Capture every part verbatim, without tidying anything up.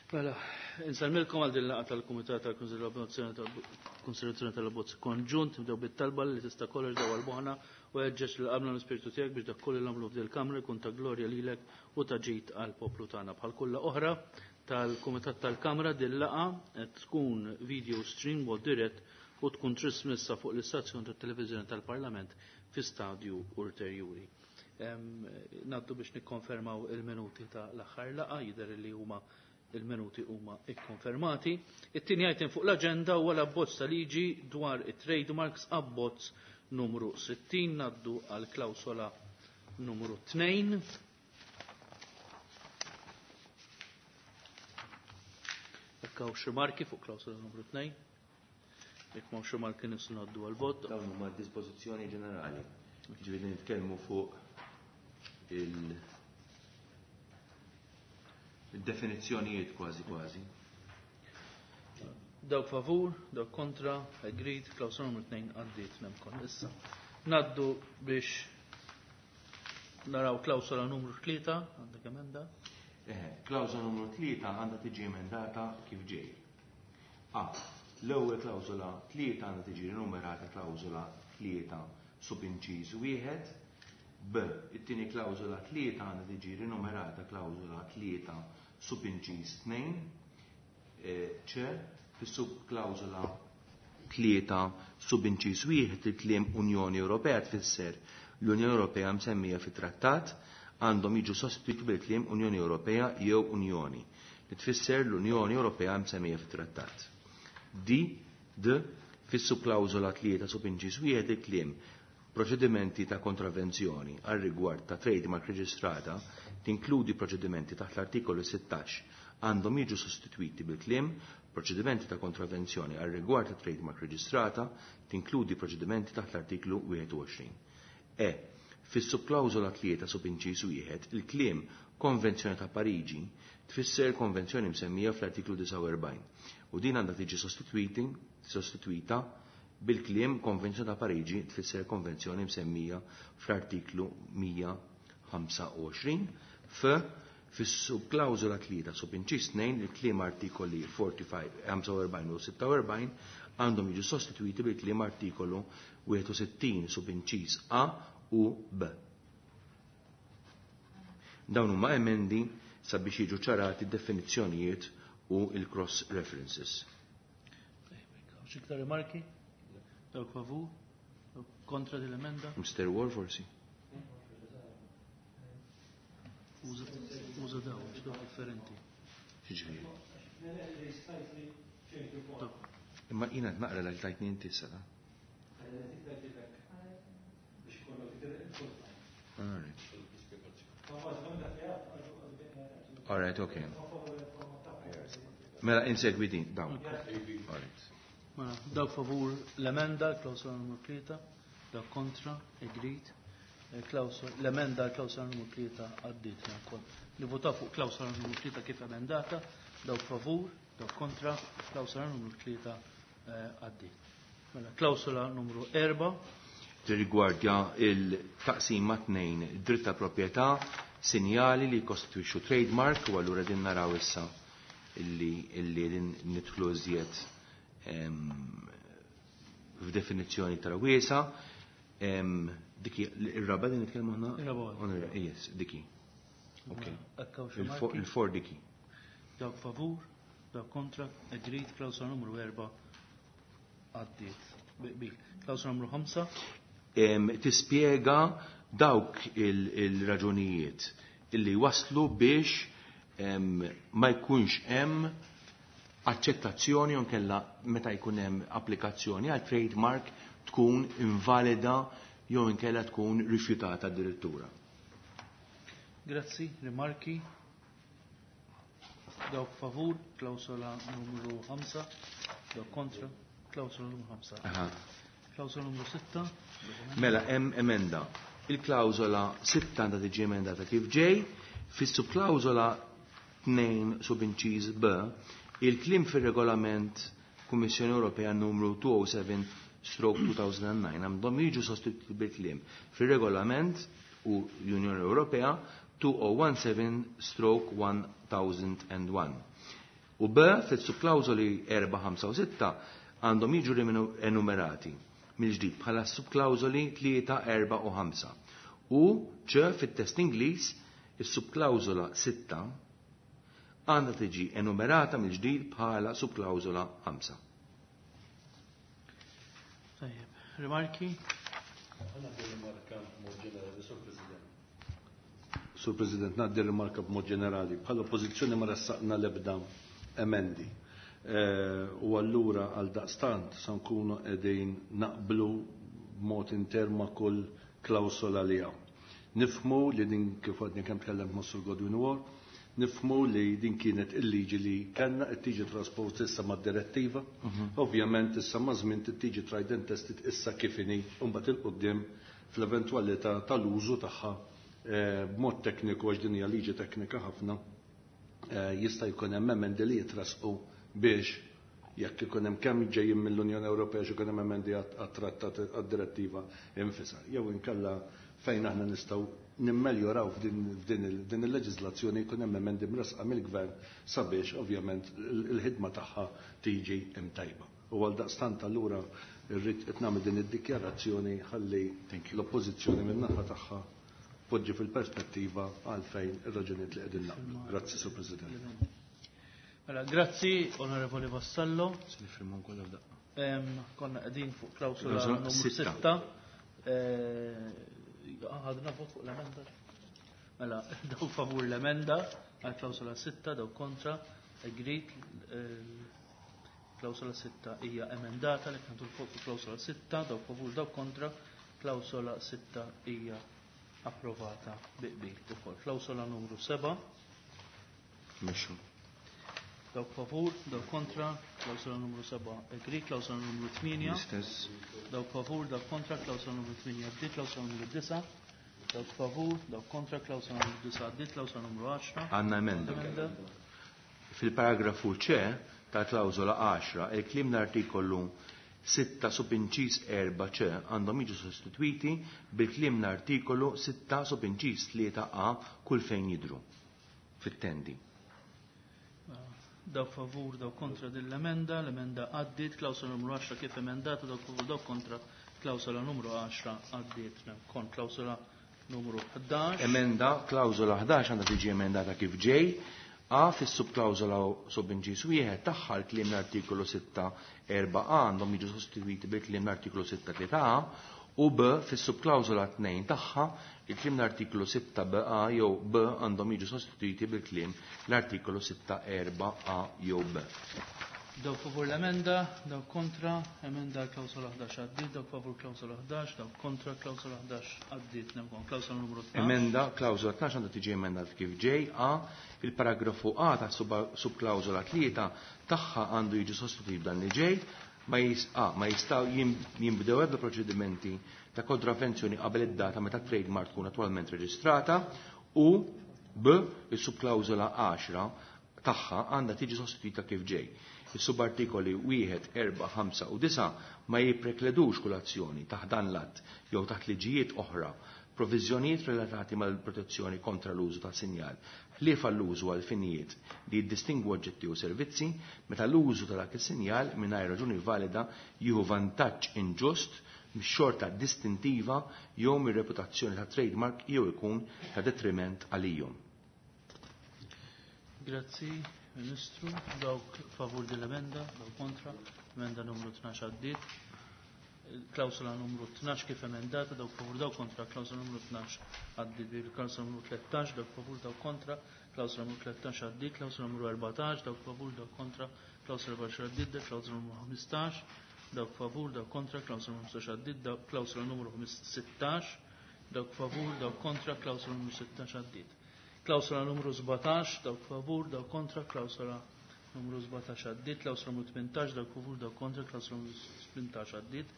Mela, insellmilkom għal din laqgħa tal-Kumitat tal-Konsiderazzjoni tal-Abbozz Konġunt, nibdew bit-talba li tista' kollox dawwal moħħna u ħeġġeġ lil qalbna l-Ispirtu tiegħek biex dak kollu nagħmlu f'dil kamra jkun ta' glorja lilek u ta' ġid għall-poplu tagħna. Bħal kull oħra tal-Kumitat tal-Kamra din laqgħa qed tkun video stream mod dirett u tkun trasmessa fuq l-istazzjon tat-televiżjoni tal-Parlament fi stadju ulterjuri. Ngħaddu biex nikkonfermaw il-minuti ta' l-aħħar laqgħa, jidher li huma il-minuti huma ikkonfermati. It-tieni item fuq l-aġenda huwa l-abbozz ta' liġi dwar it-trademarks, abbozz numru sittin. Ngħaddu għal klawsola numru tnejn. Jekk hawn xi marki fuq klawsola numru tnejn. Jekk m'hawnx xi marki nistgħu ngħaddu għall-vot. Dawn huma d-dispożizzjoni ġenerali. Ġifieri nitkellmu fuq il- il-definizzjonijiet kważi kważi. Dawk favur, dawk kontra, agreed, klawsola numru tnejn għaddiet nemkon. Issa ngħaddu biex naraw klawsola numru tlieta, għandek emenda? Eħe, klawsola numru tlieta għandha tiġi emendata kif ġej. A. L-ewwel klawsola tlieta għandha tiġi numerata klawsola tlieta subinċiż wieħed. B. It-tieni klawsola tlieta għandha tiġi rinumerata klawsola tlieta subinċiż tnejn. E, C. Fis-subklawsola tlieta subinċiż wieħed il-kliem Unjoni Ewropea tfisser l-Unjoni Ewropea msemmija fit-trattat għandhom jiġu sostituiti bil-kliem Unjoni Ewropea jew Unjoni li tfisser l-Unjoni Ewropea msemmija fit-trattat. D. D. Fis-subklawsola tlieta subinċiż wieħed il-kliem proċedimenti ta' kontravenzjoni għal rigward ta' trademark reġistrata tinkludi proċedimenti taħt l-artikolu sittax għandhom jiġu sostituiti bil-kliem proċedimenti ta' kontravenzjoni għal rigward ta' trademark reġistrata tinkludi proċedimenti taħt l-artiklu wieħed u għoxrin. E. Fis-subklawsola tlieta subinċiż wieħed il-kliem Konvenzjoni ta' Pariġi tfisser konvenzjoni msemmija fl-artiklu disgħa u erbgħin u din għandha tiġi sostituiti, sostituita bil-kliem Konvenzjoni ta' Pariġi tfisser konvenzjoni msemmija fl-artiklu mija ħamsa u għoxrin. F. Fis-subklawsola tlieta subinċiż tnejn il-kliem artikoli ħamsa u erbgħin u sitta u erbgħin għandhom jiġu sostituiti bil-kliem artikolu wieħed u sittin subinċiż A u B. Dawn huma emendi sabiex jiġu ċarati d-definizzjonijiet u il-cross references. Xi iktar rimarki? Dawk favur? Dawk kontra din l-emenda? Mister Wall forsi. Uża dawn, għax dawn differenti. Xiġifieri? Imma jiena qed naqra li tajtni inti issa, ta? All right. All right, okay. Mela insegwi din, dawn. All right. Mela, dawk favur l-emenda, klawsola numru tlieta, dawk kontra, agreed. L-emenda klawsola numru tlieta għaddiet wkoll. Nivvotaw fuq klawsola numru tlieta kif emendata, dawk favur, dawk kontra, klawsola numru tlieta għaddiet. Mela, klawsola numru erba'. Tirrigwardja il-taqsima tnejn, dritt ta' proprjetà, sinjali li jkostitwixxu trademark, u allura din naraw issa illi, illi din nidħlu iżjed, em, f'definizzjoni iktar wiesa. Em, diki, ir-raba din nitkellmu aħna? Ir-raba. Onora, yes, diki. Ok. Hekk hawn xi Il-fo-, marki? Il-for diki. Dawk favur, dawk kontra, agreed, klawsola numru erba' għaddiet. Bil. Klawsola numru ħamsa. Em, tispjega dawk il-, il-raġunijiet illi waslu biex, em, ma jkunx hemm aċċettazzjoni jew inkella meta jkun hemm applikazzjoni għal trademark tkun invalida jew inkella tkun rifjutata addirittura. Grazzi, rimarki. Dawk favur, klawsola numru ħamsa, dawk kontra, klawsola numru ħamsa. Aha. Klawsola numru sitta. Mela hemm emenda. Il-klawsola sitta għandha tiġi emendata kif ġej, fis-subklawsola tnejn subinċiż B, il-kliem fir-regolament Kummissjoni Ewropea numru two oh seven stroke two thousand and nine għandhom jiġu sostituti bil-kliem fir-regolament u l-Unjoni Ewropea two oh one seven stroke one thousand and one. U B fis-subklawżoli erba', ħamsa u sitta għandhom jiġu enumerati mill-ġdid bħala subklawżoli tlieta, erba' u ħamsa. U C fit-test Ingliż is-subklawżola sitta għandha tiġi enumerata mill-ġdid bħala subklawżola ħamsa. Tajjeb, rimarki? Għandi rimarka b'mod ġenerali, Sur President. Sur President, ngħaddi rimarka b'mod ġenerali. Bħala oppożizzjoni ma ressaqna l-ebda emendi. U allura għal daqstant sa nkunu qegħdin naqblu b'mod inter ma' kull klawsola li hawn. Nifhmu li din kif għadni kemm tkellemt ma' Sur Godwin War, nifhmu li din kienet il-liġi li kellna qed tiġi trasposta issa mad-direttiva. Ovvjament issa ma' żmien tiġi tried and tested issa kif inhi u mbagħad il quddiem fl-eventwalità tal-użu tagħha b'mod tekniku, għax din hija liġi teknika ħafna, jista' jkun hemm emendi li jitrasqu biex jekk ikun hemm kemm ġejjin mill-Unjoni Ewropea xi jkun hemm emendi għat-trattat għad-direttiva infisha. Jew inkella fejn aħna nistgħu nimmeljoraw f'din il-leġiżlazzjoni jkun hemm emendi mresqa mill-gvern sabiex ovvjament il-ħidma tagħha tiġi imtajba. U għal daqstant allura rrid qed nagħmel din id-dikjarazzjoni ħalli l-oppożizzjoni min-naħa tagħha poġġi fil-perspettiva għalfejn ir-raġunijiet li qegħdin naqblu. Grazzi, Sur President. Mela, grazzi, Onorevoli Vassallo. Konna qegħdin fuq klawsola numru sitta. Ħadna vot fuq l-emenda. Mela, daw favur l-emenda għal klawsola sitta, daw kontra, agreed. Klawsola sitta hija emendata li kantu fuq klawsola sitta, daw favur, daw kontra, klawsola sitta hija approvata bi qbil ukoll. Klawsola numru seba'. Mexxu. Dawk favur, dawk kontra, klawsola numru seba' agreed, klawsola numru tmienja. L-istess. Dawk favur, dawk kontra, klawsola numru tmienja għaddiet, klawsola numru disa'. Dawk favur, dawk kontra, klawsola numru disa' għaddiet, klawsola numru għaxra. Għandna emenda. Fil-paragrafu C ta' klawsola għaxra, il-kliem l-artikolu sitta subinċis erba' C għandhom jiġu sostituiti bil-kliem l-artikolu sitta subinċis tlieta A kull fejn jidru fit-tendi. Dawk favur, dawk kontra din l-emenda, l-emenda għaddiet, klawsola numru għaxra kif emendata, dawk favur, dawk kontra, klawsola numru għaxra għaddiet. Kont klawsola numru ħdax. Emenda, klawsola ħdax għandha tiġi emendata kif ġej. A fis-subklawsola subinċis wieħed tagħha l-kliem l-artikolu sitta erba' A għandhom jiġu sostituiti bil-kliem l-artikolu sitta tlieta A u B fis-subklawsola tnejn tagħha il-kliem l-artikolu sitta B A jew B għandhom jiġu sostituiti bil-kliem l-artikolu sitta erba' A jew B. Dawk favur l-emenda, dawk kontra, emenda klawsola ħdax għaddiet, dawk favur klawsola ħdax, dawk kontra klawsola ħdax għaddiet, nemkon klawsola numru tnax. Emenda klawsola tnax għandha tiġi emendata kif ġej A, il-paragrafu A ta' subklawsola tlieta tagħha għandu jiġi sostituit b'dan li ġej, ma jis, A, ma jistgħu jinbdew ebda proċedimenti ta' kontravvenzjoni qabel id-data meta trademark tkun attwalment reġistrata u B, il-subklawsola għaxra tagħha għandha tiġi sostituita kif ġej. Is-subartikoli wieħed, erba', ħamsa u disa' ma jipprekledux kull azzjoni taħt dan l-att jew taħt liġijiet oħra proviżjonijiet relatati mal-protezzjoni kontra l-użu ta' sinjal, ħlief għall-użu għal finijiet li jiddistingwu oġġetti u servizzi meta l-użu ta' dak is-sinjal mingħajr raġuni valida jieħu vantaġġ inġust mix-xorta distintiva jew mir-reputazzjoni ta' trademark jew ikun ta' detriment għalihom. Grazzi, Ministru. Dawk favur din l-emenda, dawk kontra, emenda numru tnax għaddiet. Klawsola numru tnax kif emendata, dawk favur, dawk kontra, klawsola numru tnax għaddiet. Klawsola numru tlettax, dawk favur, dawk kontra, klawsola numru tlettax għaddiet, klawsola numru erbatax, dawk favur, dawk kontra, klawsola erbatax għaddiet, klawsola numru ħmistax, dawk favur, dawk kontra, klawsola numru ħmistax għaddiet, klawsola numru sittax, dawk favur, dawk kontra, klawsola numru sittax għaddiet. Klawsola numru sbatax, dawk favur, dawk kontra, klawsola numru sbatax għaddiet, klawsola numru tmintax, dawk favur, dawk kontra, klawsola numru tmintax għaddiet,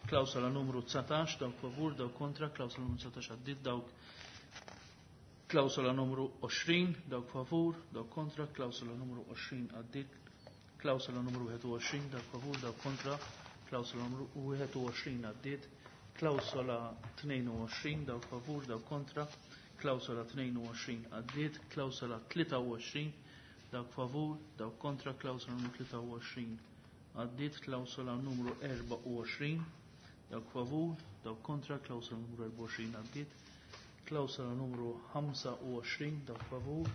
klawsola numru dsatax, dawk favur, dawk kontra, klawsola numru dsatax għaddiet, dawk klawsola numru għoxrin, dawk favur, dawk kontra, klawsola numru għoxrin għaddiet, klawsola numru wieħed u għoxrin, dawk favur, dawk kontra, klawsola numru wieħed u għoxrin għaddiet, klawsola tnejn u għoxrin, dawk favur, dawk kontra, klawsola tnejn u għoxrin għaddiet, klawsola tlieta u għoxrin, Dawk favur, dawk kontra, klawsola numru tlieta u għoxrin għaddiet. Klawsola numru erbgħa u għoxrin, dawk favur, dawk kontra, klawsola numru erbgħa u għoxrin għaddiet. Klawsola numru ħamsa u għoxrin, dawk favur,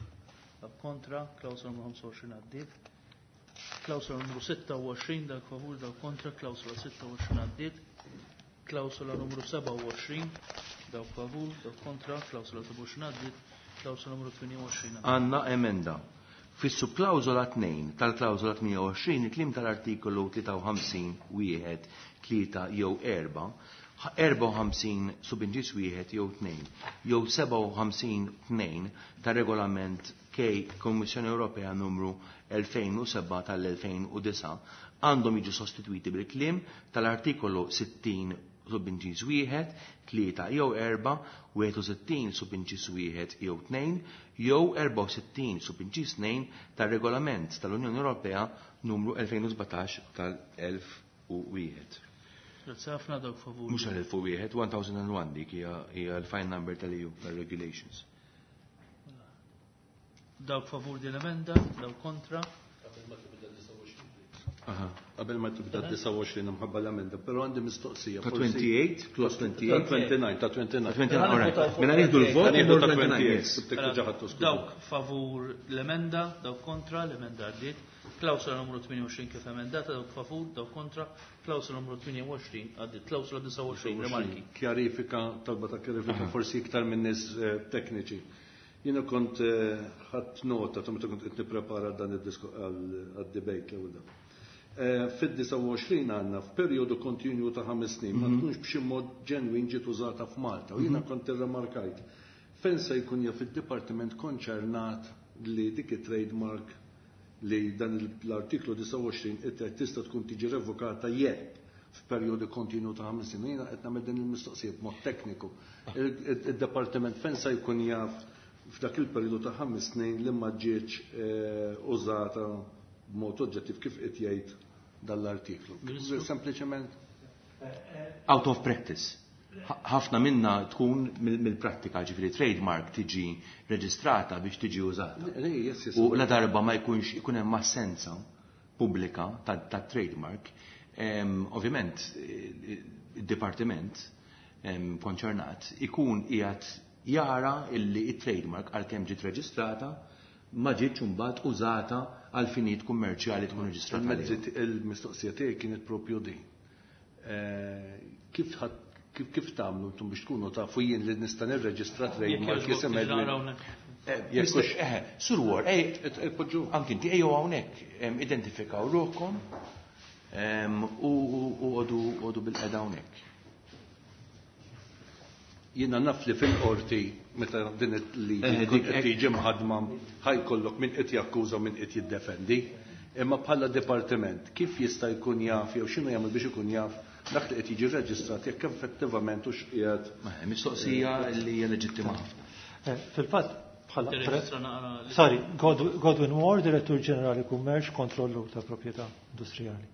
dawk kontra, klawsola numru ħamsa u għoxrin għaddiet. Klawsola numru sitta u għoxrin, dawk favur, dawk kontra, klawsola sitta u għoxrin għaddiet. Klawsola numru sebgħa u għoxrin, dawk favur, dawk kontra, klawsola sebgħa u għoxrin għaddiet. Klawsola numru tmienja u għoxrin għaddiet. Għandna emenda. Fis-subklawżola tnejn tal-klawżola tmienja u għoxrin, il-kliem tal-artikolu tlieta u ħamsin wieħed tlieta jew erba', erbgħa u ħamsin subinġis wieħed jew tnejn, jew sebgħa u ħamsin tnejn tar-regolament K Kommissjoni Ewropea numru elfejn u sebgħa tal-elfejn u disgħa għandhom jiġu sostitwiti bil-kliem tal-artikolu sittin subinġis wieħed, tlieta jew erba', wieħed u sittin subinġis wieħed jew tnejn, jew erbgħa u sittin subinġis tnejn tar-regolament tal-Unjoni Ewropea numru elfejn u sbatax tal-elf u wieħed. Grazzi ħafna, dawk favur. Mhux tal-elf u wieħed, one thousand and one dik hija, hija l-fine number tal-E U tal-regulations. Dawk favur din l-emenda, dawk kontra. Aha, qabel ma tibda disgħa u għoxrin imħabba l-emenda, però għandi mistoqsija. Ta' forsi twenty-eight, clause twenty-eight. Ta' twenty-nine, ta' twenty-nine. Ta' twenty-nine, all right. Mela nieħdu l-vot, Nieħdu ta' twenty-nine, twenty-eight, yes. tibtek diġà ħadtu skuża. Dawk favur l-emenda, dawk kontra, l-emenda għaddiet. Klawsola numru tmienja u għoxrin kif emendata, dawk favur, dawk kontra, klawsola numru tmienja u għoxrin għaddiet. Klawsola disgħa u għoxrin, rimarki. Kjarifika, talba ta' kjarifika, forsi iktar minn nies, eh, tekniċi. Jiena kont, eh, ħadt nota ta' meta kont qed nipprepara dan id-disku għad-debate l-ewwel darba. Eh, fid-disgħa u għoxrin għandna f'perjodu kontinju ta' ħames snin ma Mhm. tkunx b'xi mod ġenwin ġiet użata f'Malta. U jiena Mhm. kont irremarkajt fejn se jkun jaf id-dipartiment konċernat li dik it-trademark li dan il-, l-artiklu disgħa u għoxrin it-, tista' tkun tiġi revokata jekk f'perjodu kontinu ta' ħames snin. Jiena qed nagħmel din il-mistoqsija b'mod tekniku. Il-, il-, il-dipartiment fejn se jkun jaf f'dak il-perjodu ta' ħames snin li ma ġietx, eh, użata b'mod oġġettiv kif qed jgħid dal-artiklu. Ministru? Sempliċement Out of practice. Ħa-, ħafna minna tkun mill-, mill-prattika, ġifieri trademark tiġi reġistrata biex tiġi użata. Le, yes, yes. U la darba ma jkunx ikun hemm assenza pubblika ta', ta' trademark, em, ovvjament, eh, id-dipartiment, em, konċernat ikun qiegħed jara illi it-trademark għalkemm ġiet reġistrata ma ġietx imbagħad użata għal finijiet kummerċjali tkun reġistrata Il-mezzi għaliha. t-, il-mistoqsija tiegħi kienet propju din. Eh, kif ħadd, kif, kif tagħmlu intom biex tkunu tafu jien li nista' nirreġistra Jekk trademark jogħġbok jisim tiġi Edwin? naqra hawnhekk. Eh, Jekk Mister hux- eh, Sur Ward, ej, Et-, et poġġu. anki inti ejjew hawnhekk, em, identifikaw ruħkom, em, u, u, u għodu, għodu bil-qeda hawnhekk. Jiena naf li fil-qorti meta din il-liġi Eh, tkun dik qed tiġi mħadma ħajkollok min qed jakkuża u min qed jiddefendi. Imma bħala dipartiment kif jista' jkun jaf jew x'inhu jagħmel biex ikun jaf dak li qed jiġi rreġistrat jekk effettivament hux qiegħed Ma, mistoqsija li hija leġittima ħafna. Eh, fil-fatt bħala pre- Tirreġistra naqra li- Sorry, God-, Godwin Ward, Direttur Ġenerali Kummerċ, Kontrollu ta' Proprjetà Industrijali.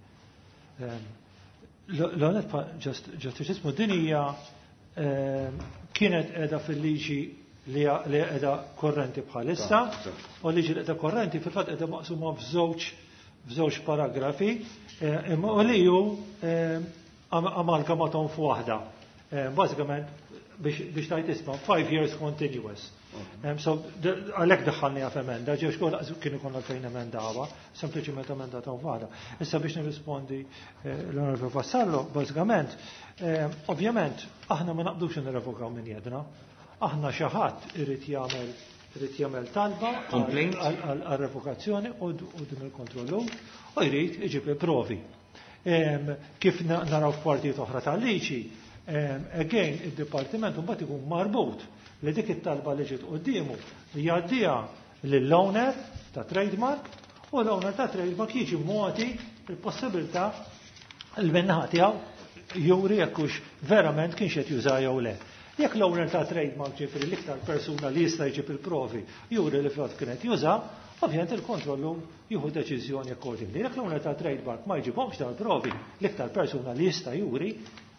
Ehm, l-, l-għonet pa-, just, just ismu din hija, ehm, kienet qiegħda fil-liġi li hija, li qiegħda korrenti bħalissa, Ta, ta. u liġi li qiegħda korrenti fil-fatt qiegħda maqsuma f'żewġ, f'żewġ paragrafi, eh, imma u li hu, ehm, am-, amalgamatom f'waħda. Eh, bażikament biex, biex tajt isma' five years continuous. Um, so, d-, għalhekk daħħalni għaf emenda, ġew xkol kienu konna fejn emendawa, sempliċiment emendata u waħda. Issa biex nirrispondi, eh, l-Onorevole Vassallo, bażikament, eh, ovvjament, aħna ma naqbdux nirrevokaw minn jedna. Aħna xi ħadd irid jagħmel, irid jagħmel talba għal- Complaint? għal-, għal-, għal revokazzjoni u d-, u din il-kontrollu u jrid iġib il-provi. Em, kif na-, naraw f'partijiet oħra tal-liġi, em, again, id-dipartiment mbagħad ikun marbut li dik it-talba li ġiet quddiemu jgħaddiha lill-owner ta' trademark u l-owner ta' trademark jiġi mogħti il-possibilità l-minnaħa tiegħu juri jekk hux verament kienx qed juża jew le. Jekk l-owner ta' trademark ġifieri l-iktar persuna li jista' jġib il-provi juri li fil-fatt kienet juża, ovvjament il-kontrollu jieħu deċiżjoni accordingly. Jekk l-owner ta' trademark ma jġibhomx dal-provi l-iktar persuna li jista' juri,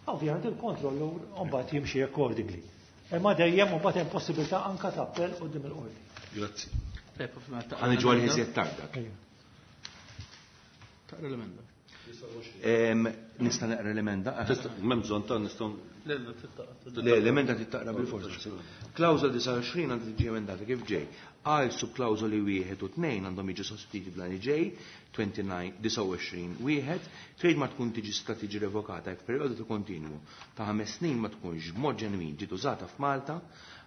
ovvjament il-kontrollu mbagħad jimxi accordingly. Imma dejjem mbagħad hemm possibilità anke ta' appell quddiem il-qorti. Grazzi. Ħa niġu għal iżjed tard dak. Taqra l-emenda. Nista' naqra l-emenda? M'hemm bżonn ta' nistgħu. Le, l-emenda tittaqra bil-forza. Klawżola disgħa u għoxrin għandha tiġi emendata kif ġej. Għal subklawżoli wieħed u tnejn għandhom jiġu sostituiti b'dan li ġej, disgħa u għoxrin wieħed, trademark tkun tiġi sta tiġi revokata jekk perjodu ta' kontinwu ta' ħames snin ma tkunx b'mod ġenwin ġiet użata f'Malta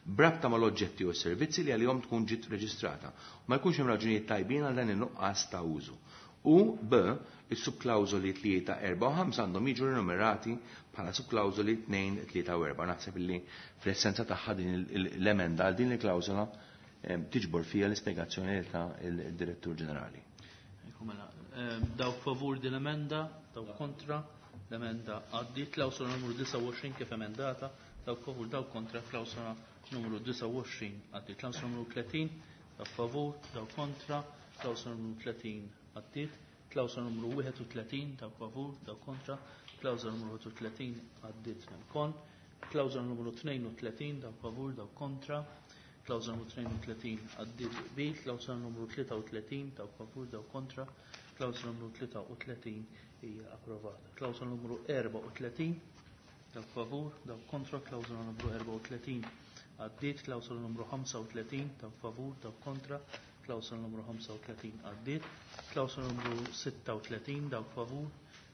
b'rabta mal-oġġetti u s-servizzi li għalihom tkun ġiet reġistrata. Ma jkunx hemm raġunijiet tajbin għal dan in-nuqqas ta' użu. U B, is-subklawżoli tlieta, erba' u ħamsa għandhom jiġu rinumerati bħala subklawżoli tnejn, tlieta u erba'. Naħseb illi fl-essenza tagħha din l-emenda għal din il-klawżola tiġbor fiha l-ispjegazzjoni ta' il-Direttur Ġenerali. Mela, dawk favur din l-emenda, dawk kontra, l-emenda għaddiet. Klawsola numru disgħa u għoxrin kif emendata, dawk favur, dawk kontra, klawsola numru disgħa u għoxrin għaddiet. Klawsola numru tletin, dawk favur, dawk kontra, klawsola numru tletin għaddiet. Klawsola numru wieħed u tletin, dawk favur, dawk kontra, klawsola numru wieħed u tletin għaddiet mill-kon. Klawsola numru tnejn u tletin, dawk favur, dawk kontra, klawsola numru tnejn u tletin għaddiet bi. Klawsola numru tlieta u tletin, dawk favur, dawk kontra, klawsola numru tlieta u tletin hija approvata. Klawsola numru erba' u tletin, dawk favur, dawk kontra, klawsola numru erba' u tletin għaddiet. Klawsola numru ħamsa u tletin, dawk favur, dawk kontra, klawsola numru ħamsa u tletin għaddiet. Klawsola numru sitta u tletin, dawk favur,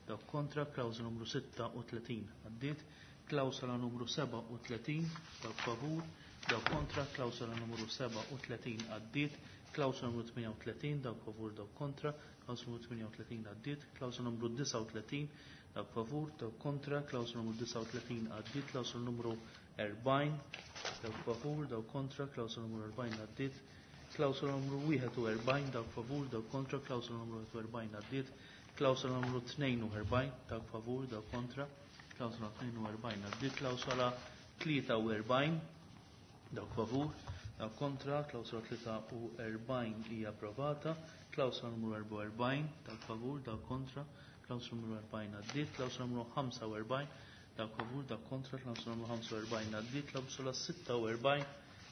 dawk kontra, klawsola numru sitta u tletin għaddiet. Klawsola numru seba' u tletin, dawk favur, dawk kontra, klawsola numru seba' u tletin għaddiet. Klawsola numru tmienja u tletin, dawk favur, dawk kontra, klawsola numru tmienja u tletin għaddiet. Klawsola numru disgħa u tletin, dawk favur, dawk kontra, klawsola numru disgħa u tletin għaddiet. Klawsola numru erbgħin, dawk favur, dawk kontra, klawsola numru erbgħin għaddiet. Klawsola numru wieħed u erbgħin, dawk favur, dawk kontra, klawsola numru wieħed u erbgħin għaddiet. Klawsola numru tnejn u erbgħin, dawk favur, dawk kontra, klawsola tnejn u erbgħin għaddiet. Klawsola tlieta u erbgħin, dawk favur, dawk kontra, klawsola tlieta u erbgħin hija approvata. Klawsola numru erbgħa u erbgħin, dawk favur, dawk kontra, klawsola numru erbgħin għaddiet. Klawsola numru ħamsa u erbgħin, dawk favur, dawk kontra, klawsola numru ħamsa u erbgħin għaddiet. Klawsola sitta u erbgħin,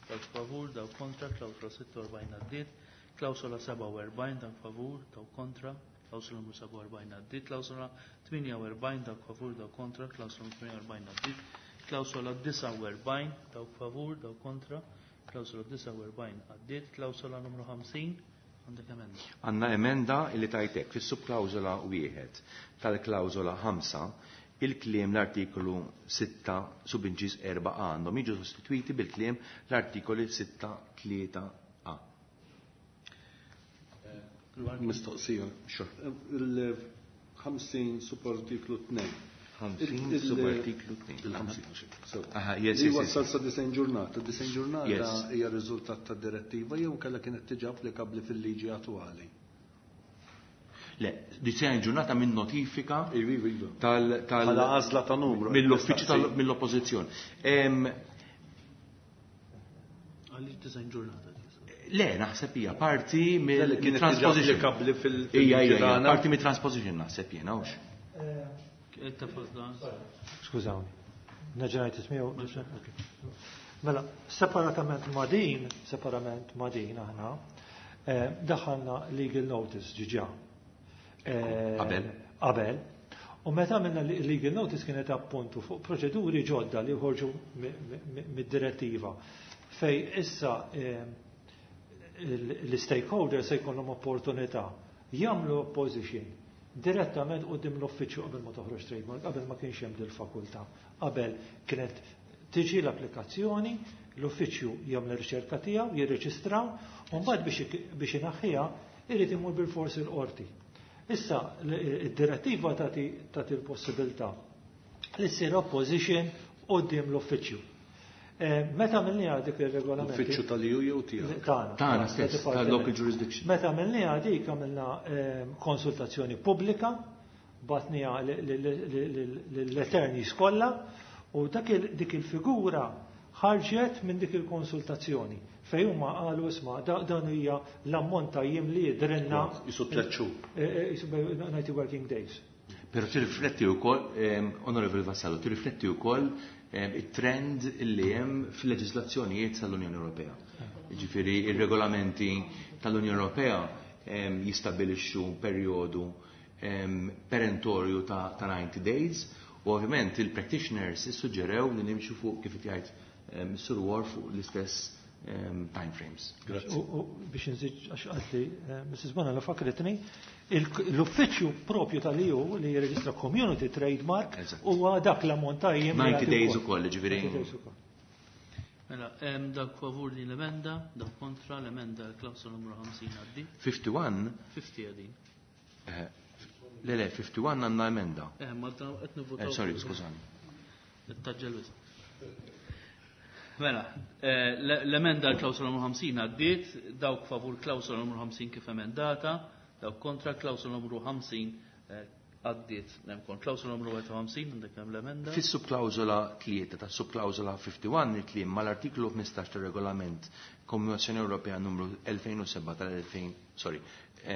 dawk favur, dawk kontra, klawsola sitta u erbgħin għaddiet. Klawsola sebgħa u erbgħin, dawk favur, dawk kontra, klawsola numru sebgħa u erbgħin għaddiet. Klawsola tmienja u erbgħin, dawk favur, dawk kontra, klawsola numru tmienja u erbgħin għaddiet. Klawsola disgħa u erbgħin, dawk favur, dawk kontra, klawsola disgħa u erbgħin għaddiet. Klawsola numru ħamsin, għandek emenda. Għandna emenda li tajtek fis-subklawsola wieħed tal-klawsola ħamsa, il-kliem l-artikolu sitta subinċiż erba' A għandhom jiġu sostituiti bil-kliem l-artikoli sitta tlieta A. Mistoqsija. Il-ħamsin subartiklu tnejn. ħamsin subartiklu tnejn. Il-ħamsin. Aha, yes, Li yes, yes. wassal sa disgħin ġurnata. Disgħin ġurnata Yes. hija riżultat ta' direttiva jew kellha kienet tiġi applikabbli fil-liġi attwali. Le, disgħin ġurnata minn notifika Iva, iva, iva. tal-, tal- Bħala għażla ta' numru. mill-uffiċċju tal-, mill-oppożizzjoni. Em, Għaliex disgħin ġurnata? Le, naħseb hija parti Le, li kienet tiġi mill-transposition. applikabbli fil- Ija, ija, ija, fil-ġirana. parti mit-transposition naħseb jiena, hux. Skużawni. Nerġa' ngħid ismi jew- Mela, separatament ma' din, separatament ma' din aħna, eh, daħalna legal notice ġiġa. Eh, Qabel. Qabel. U meta għamilna legal notice kienet appuntu fuq proċeduri ġodda li ħorġu mi-, mi-, mid-direttiva fej issa, eh, l-stakeholders se jkollhom opportunità jagħmlu opposition direttament quddiem l-uffiċċju qabel ma toħroġ trademark, qabel ma kienx hemm dil-fakultà. Qabel kienet tiġi l-applikazzjoni, l-uffiċċju jagħmel ir-riċerka tiegħu, jirreġistraw, u mbagħad biex ik-, biex inaħħiha irid imur bil-forsi l-qorti. Issa id-direttiva tagħti, tagħti l-possibilità li ssir opposition quddiem l-uffiċċju. Eh, meta għamilniha dik ir-regolamenti? L-uffiċċju tal-E U jew tiegħek? Tagħna. Tagħna stess, Department. tal-local jurisdiction. Meta għamilniha dik għamilna, eh, konsultazzjoni pubblika, batniha l-attorneys kollha, u dak il-, dik il-figura ħarġet minn dik il-konsultazzjoni. Fej huma qalu isma' da-, dan hija l-ammont ta' jiem li jidrinna. Jisu tliet xhur. Eh, eh, jisu ninety working days. Però tirrifletti wkoll, ehm, Onorevoli Vassallo, tirrifletti wkoll, ehm, it-trend li hemm fil-leġiżlazzjonijiet tal-Unjoni Ewropea. Ġifieri ir-regolamenti tal-Unjoni Ewropea jistabbilixxu perjodu perentorju ta' ninety days u ovvjament il-practitioners issuġġerew li nimxu fuq kif jgħid Sur War fuq l-istess time frames. Grazzi. U biex nżid għax qaltli Missus Bonello fakritni, l-uffiċċju propju tal-E U li jirreġistra community trademark huwa dak l-ammont ta' jiem. ninety days ukoll, ġifieri. Mela, hemm dak favur din l-emenda, dak kontra l-emenda l-klawsola numru ħamsin għaddi. fifty-one. fifty għadin. Le, le, fifty-one għandna emenda. Eh, ma qed nivvotaw. Sorry, skużani. Nittaġġel wisq. Mela, l-emenda l-klawsola numru ħamsin għaddiet, dawk favur klawsola numru ħamsin kif emendata, dawk kontra klawsola numru ħamsin għaddiet. Nemkon klawsola numru wieħed u ħamsin, għandek hemm l-emenda. Fis-subklawsola tlieta ta' subklawsola fifty-one il-kliem mal-artiklu ħmistax tar-regolament Kommissjoni Ewropea numru elfejn u seba' tal-elfejn, sorry,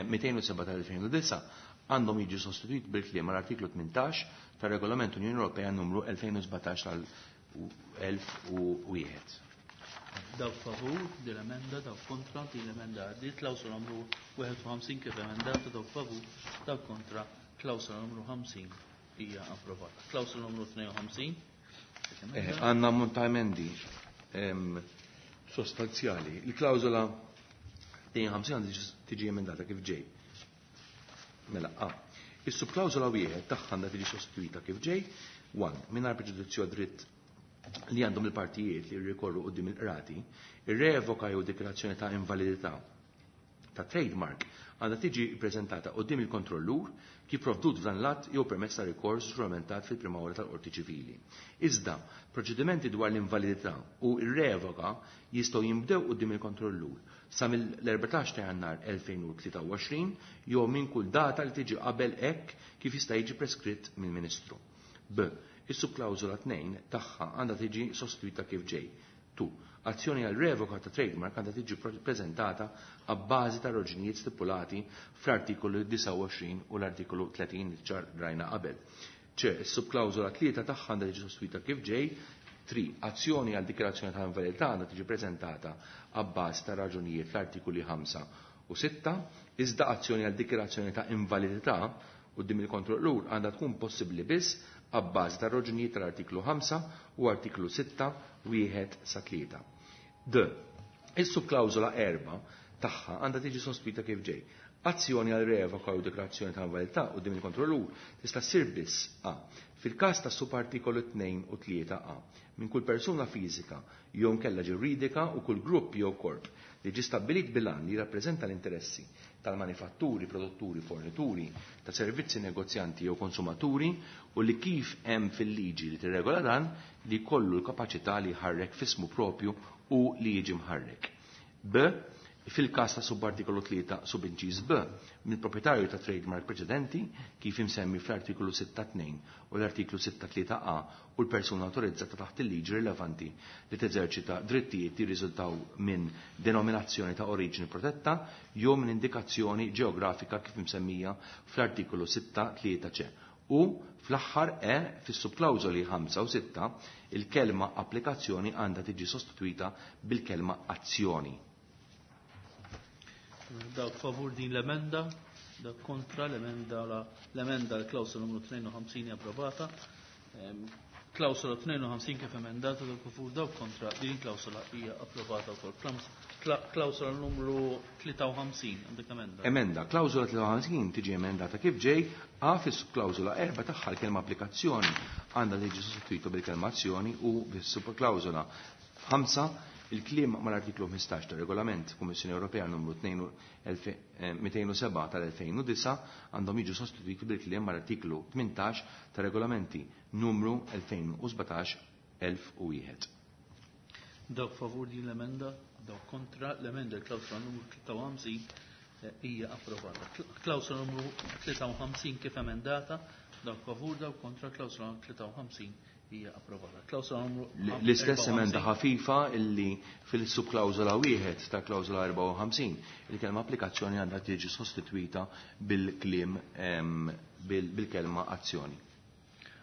mitejn u seba' tal-elfejn u disa' għandhom jiġu sostituit bil-kliem mal-artiklu tmintax tar-regolament Unjoni Ewropea numru elfejn u sbatax tal-elf u wieħed. Dawk favur din l-emenda, dawk kontra din l-emenda għaddiet, klawsola numru wieħed u ħamsin kif emendata, dawk favur, dawk kontra, klawsola numru ħamsin hija approvata. Klawsola numru tnejn u ħamsin. Għandna ammont ta' emendi sostanzjali. Il-klawsola tnejn u ħamsin għandha tiġi emendata kif ġej. Mela, A. Is-subklawsola wieħed tagħha għandha tiġi sostituita kif ġej. One, mingħajr preġudizzju għad-dritt li għandhom il-partijiet li jirrikorru quddiem il-qrati, ir-revoka jew dikjarazzjoni ta' invalidità ta' trademark għandha tiġi ppreżentata quddiem il-kontrollur kif provdut f'dan l-att jew permezz ta' rikors ġuramentat fil-prima ora tal-qorti ċivili. Iżda, proċedimenti dwar l-invalidità u r-revoka jistgħu jinbdew quddiem il-kontrollur sa mill-erbatax ta' Jannar elfejn u tlieta u għoxrin jew minn kull data li tiġi qabel hekk kif jista' jiġi preskritt mill-Ministru. B. Is-subklawżola tnejn tagħha għandha tiġi sostituita kif ġej. Two. Azzjoni għal revoka ta' trademark għandha tiġi preżentata għabbażi ta' raġunijiet stipulati fl-artikolu disgħa u għoxrin u l-artikolu tletin li ċar rajna qabel. C. Is-subklawżola tlieta tagħha għandha tiġi sostituita kif ġej. Three. Azzjoni għal dikjarazzjoni ta' invalidità għandha tiġi preżentata għabbażi ta' raġunijiet fl-artikoli ħamsa u sitta, iżda azzjoni għal dikjarazzjoni ta' invalidità quddiem il-kontrollur għandha tkun possibbli biss għabbażi ta' raġunijiet tal-artiklu ħamsa u artiklu sitta wieħed sa tlieta. D. Is-subklawżola erba' tagħha għandha tiġi sospita kif ġej. Azzjoni għal revoka u dikjarazzjoni ta' invalidità quddiem il-kontrollur tista' ssir biss A. Fil-każ ta' subartikolu tnejn u tlieta A minn kull persuna fiżika jew nkella ġuridika u kull grupp jew korp li ġie stabbilit bil-għan li jirrappreżenta l-interessi tal-manifatturi, produtturi, fornituri, ta' servizzi, negozjanti jew konsumaturi u li kif hemm fil-liġi li tirregola dan li jkollu l-kapaċità li jħarrek f'ismu propju u li jiġi mħarrek. B. Fil-każ ta' subartikolu tlieta subinċiż B mill-proprjetarju ta' trademark preċedenti kif imsemmi fl-artikolu sitta tnejn u l-artiklu sitta tlieta A u l-persuna autorizzata taħt il-liġi rilevanti li teżerċita drittijiet li jirriżultaw minn denominazzjoni ta' oriġini protetta jew minn indikazzjoni ġeografika kif imsemmija fl-artikolu sitta tlieta C. U fl-aħħar E fis-subklawżoli ħamsa u sitta il-kelma applikazzjoni għandha tiġi sostituita bil-kelma azzjoni. Dawk favur din l-emenda, dawk kontra l-emenda, l-emenda l-klawsola numru tnejn u ħamsin hija approvata. Klawsola tnejn u ħamsin kif emendata, dawk favur, dawk kontra din klawsola hija approvata wkoll. Klawsola numru tlieta u ħamsin, għandek emenda. Emenda, klawsola tlieta u ħamsin tiġi emendata kif ġej, A fis-klawsola erba' tagħha l-kelma applikazzjoni għandha tiġi sostituita bil-kelma azzjoni u fis-subklawsola ħamsa il-kliem mal-artiklu ħmistax tar-Regolament Kummissjoni Ewropea numru mitejn u seba' tal-elfejn u disa' għandhom jiġu sostituiti bil-kliem mal-artiklu tmintax tar-Regolamenti numru elfejn u sbatax elf u wieħed. Dawk favur din l-emenda, dawk kontra l-emenda l-klawsola numru tlieta u ħamsin hija approvata. Klawsola numru tlieta u ħamsin kif emendata, dawk favur, dawk kontra klawsola tlieta u ħamsin hija approvata. Klawsola numru L-istess erbgħa u emenda ħamsin. ħafifa illi fil-subklawsola wieħed ta' klawsola erbgħa u ħamsin il-kelma applikazzjoni għandha tiġi sostituita bil-kliem, ehm, bil-, bil-kelma azzjoni.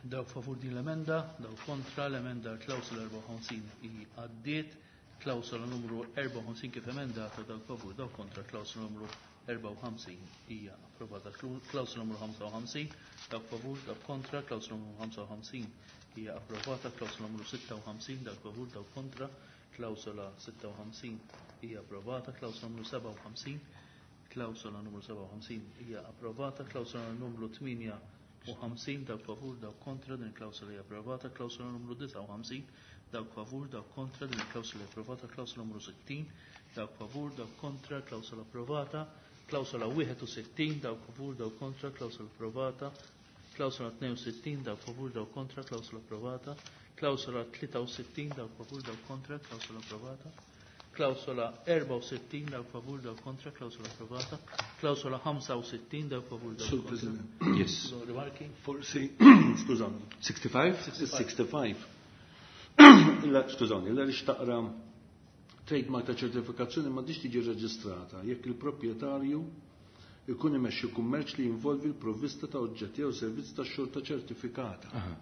Dawk favur din l-emenda, dawk kontra l-emenda klawsola erbgħa u ħamsin hi għaddiet. Klawsola numru erbgħa u ħamsin kif emendata, dawk favur, dawk kontra. Klawsola numru erbgħa u ħamsin hija approvata. Klawsola numru ħamsa u ħamsin, dawk favur, dawk kontra. Klawsola numru ħamsa u ħamsin hija approvata. Klawsola numru sitta u ħamsin, dawk favur, dawk kontra. Klawsola sitta u ħamsin hija approvata. Klawsola numru sebgħa u ħamsin, klawsola numru sebgħa u ħamsin hija approvata. Klawsola numru tmienja u ħamsin, dawk favur, dawk kontra, din il-klawsola hija approvata. Klawsola numru disgħa u ħamsin, dawk favur, dawk kontra, din il-klawsola hija approvata. Klawsola numru sittin, dawk favur, dawk kontra, klawsola approvata. Klawsola wieħed u sittin, dawk favur, dawk kontra, klawsola approvata. Klawsola tnejn u sittin, dawk favur, dawk kontra, klawsola approvata. Klawsola tlieta u sittin, dawk favur, dawk kontra, klawsola approvata. Klawsola erbgħa u sittin, dawk favur, dawk kontra, klawsola approvata. Klawsola ħamsa u sittin, dawk favur, dawk Sur kontra. President. Yes. Rimarki? Forsi, skużani. sixty-five? sixty-five. Illa, skużani, illa li xtaqra trademark ta' ċertifikazzjoni ma diġ tiġi reġistrata jekk il-proprjetarju ikun imexxi kummerċ li jinvolvi l-provvista ta' oġġetti jew servizz ta' xorta ċertifikata. Aha.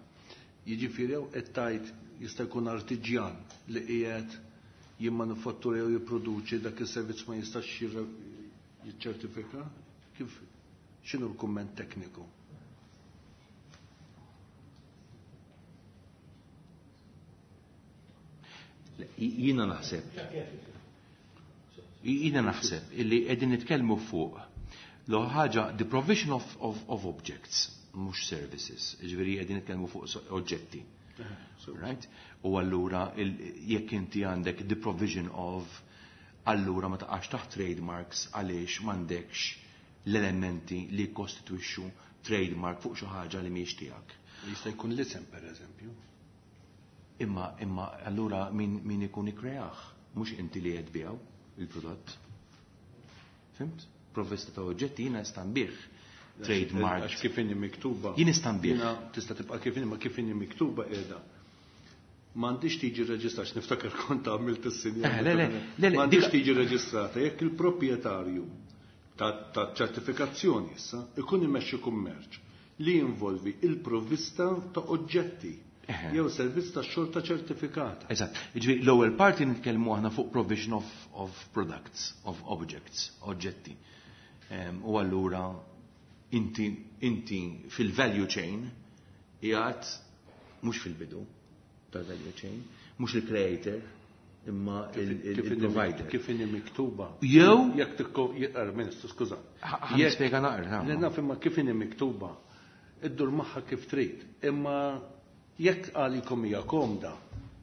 Jiġifieri jew qed tgħid jista' jkun artiġjan li qiegħed jimmanufattura jew jipproduċi dak is-servizz ma jistax jirre-, jiċċertifika? Kif, x'inhu l-kumment tekniku? Jiena naħseb. Jiena naħseb illi qegħdin nitkellmu fuq l ħaġa the provision of, of, of objects, mhux services, jiġifieri qegħdin nitkellmu fuq so-, oġġetti. Right? U allura il-, jekk inti għandek the provision of, allura ma taqax taħt trademarks għaliex m'għandekx l-elementi li jkostitwixxu trademark fuq xi ħaġa li mhijiex tiegħek. Jista' jkun l-isem pereżempju. Imma, imma allura min, min ikun ikkreah, mhux inti li qed biegħu il-prodott. Fimt? Provvista ta' oġġetti jiena nista' nbih trademark. Għax kif inhi miktuba. Jien nista' nbih. Jiena tista' tibqa' kif inhi, ma kif inhi miktuba qiegħda. M'għandix tiġi reġistrata, niftakar kont għamilt is-sinjal. Eh, le, le, le, le, M'għandix dik tiġi reġistrata jekk il-proprjetarju ta', ta' ċertifikazzjoni issa ikun imexxi kummerċ li jinvolvi il-provvista ta' oġġetti Eħe. jew servizz ta' xorta ċertifikata. Eżatt. Jiġifieri l-ewwel parti nitkellmu aħna fuq provision of, of products, of objects, oġġetti. Em, u allura inti, inti fil-value chain qiegħed mhux fil-bidu tal-value chain, mhux il-creator, imma Kif il-, il-, kif inni il-provider. Kif inni miktuba. Jew Jekk tikko-, je-, er, Ministru, skuża. Ħa-, ħa nispjega naqra, ha. Le naf imma kif inni miktuba, iddur magħha kif trid, imma jekk għalikom hija komda,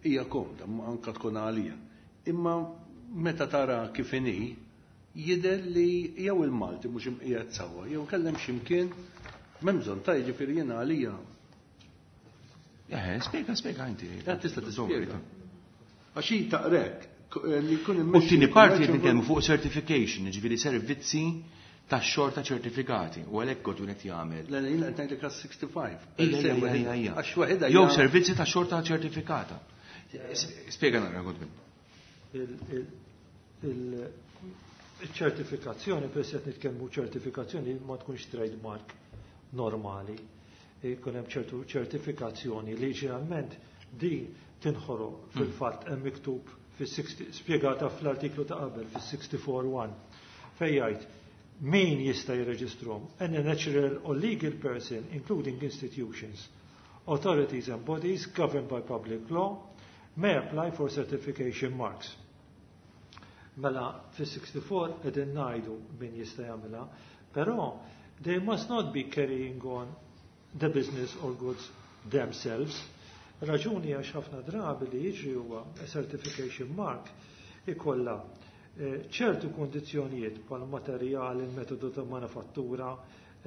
hija komda, ma anka tkun għalija. Imma meta tara kif inhi, jidher li jew il-Malti mhux imqiegħed sewwa, jew kellem x'imkien m'hemm bżonn ta' jiġifieri jiena għalija. Eh, spjega, spjega inti. Ja, tista' tispjega. Għax hi taqrek, k-, eh, li jkun U immexxi t-tieni parti kummerċ qed nitkellmu fuq certification, jiġifieri servizzi ta' xorta ċertifikati, u għalhekk kont qed jagħmel. Le, le, jiena qed ngħidlek għas sixty-five. Ejja, ejja, ejja, ejja. Għax waħedha Jew hija servizzi ta' xorta ċertifikata. Spjega naqra, Godwin. Il-, il-, il-ċertifikazzjoni, per se nitkellmu ċertifikazzjoni, ma tkunx trademark normali. Jkun hemm ċertu ċertifikazzjoni li ġeneralment din tinħoloq fil-fatt hemm miktub fis-sixty, spjegata fl-artiklu ta' qabel fis-sixty-four one fejn jgħid min jista' jirreġistrahom any natural or legal person including institutions, authorities and bodies governed by public law may apply for certification marks. Mela fis-sixty-four qegħdin ngħidu min jista' jagħmilha, però they must not be carrying on the business or goods themselves. Raġuni għax ħafna drabi li jiġri huwa a certification mark ikolla, eh, ċertu kondizzjonijiet bħal materjal, il-metodu ta' manufattura,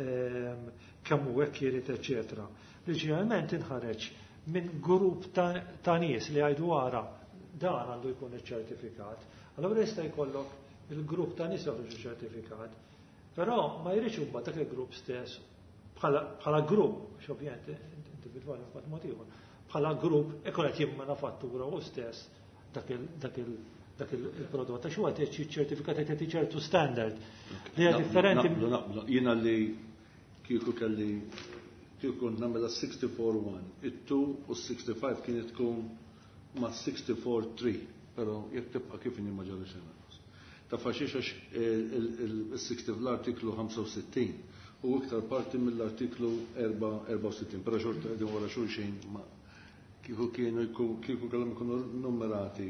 ehm, kemm hu hekk irid, eċċetera. Li ġeneralment inħareġ minn grupp ta', ta' nies li jgħidu ara dan għandu jkun iċ-ċertifikat. Allura jista' jkollok il-grupp ta' nies joħroġu ċertifikat, però ma jridx huma dak il-grupp stess bħala, bħala grupp, għax ovvjament individwali mbagħad mod ieħor, bħala grupp ikun qed jimmanufattura hu stess dak il-, dak il-, dak il-, il-prodott. Għax huwa qed jiċċertifikat qed jagħti ċertu standard li hija Naqblu, differenti. Naqblu, naqblu. Jiena li kieku kelli kieku nagħmilha sixty-four one, it-two u sixty-five kienet tkun ma' sixty-four three. Però jekk tibqa' kif inhi ma ġara xejn lanqas. Ta' faxix għax il-sixty fl-artiklu ħamsa u sittin u iktar parti mill-artiklu erbgħa u sittin, però xorta qegħdin wara xulxin ma kieku kienu kieku kellhom ikunu numerati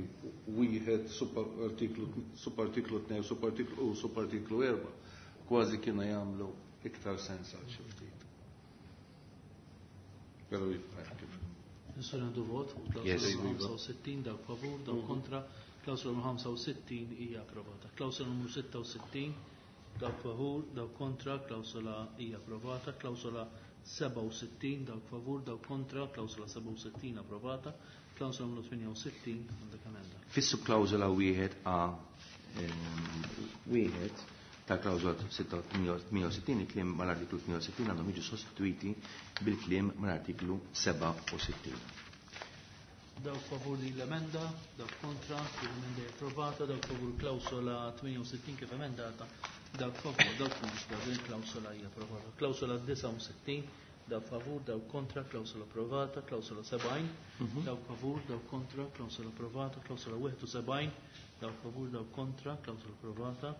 wieħed subartiklu subartiklu tnejn subartiklu u subartiklu erba', kważi kienu jagħmlu iktar sens għal xi ftit. Però jibqa' kif. Nistgħu nagħdu vot fuq klawsola ħamsa u sittin, dawk favur, dawk kontra. Klawsola numru ħamsa u sittin hija approvata. Klawsola numru sitta u sittin, dawk favur, dawk kontra, klawsola hija approvata. Klawsola sebgħa u sittin, dawk favur, dawk kontra, klawsola sebgħa u sittin approvata. Klawsola numru tmienja u sittin, għandek emenda. Fis-subklawsola wieħed A, ehm, wieħed ta' klawsola tmienja u sittin, il-kliem mal-artiklu tmienja u sittin għandhom jiġu sostituiti bil-kliem mal-artiklu sebgħa u sittin. Dawk favur din l-emenda, dawk kontra, din l-emenda hija approvata, dawk favur klawsola tmienja u sittin kif emendata, dawk favur, dawk kontra, din klawsola hija approvata. Klawsola disgħa u sittin, dawk favur, dawk kontra, klawsola approvata, klawsola sebgħin, Mhm. dawk favur, dawk kontra, klawsola approvata, klawsola wieħed u sebgħin, dawk favur, dawk kontra, klawsola approvata,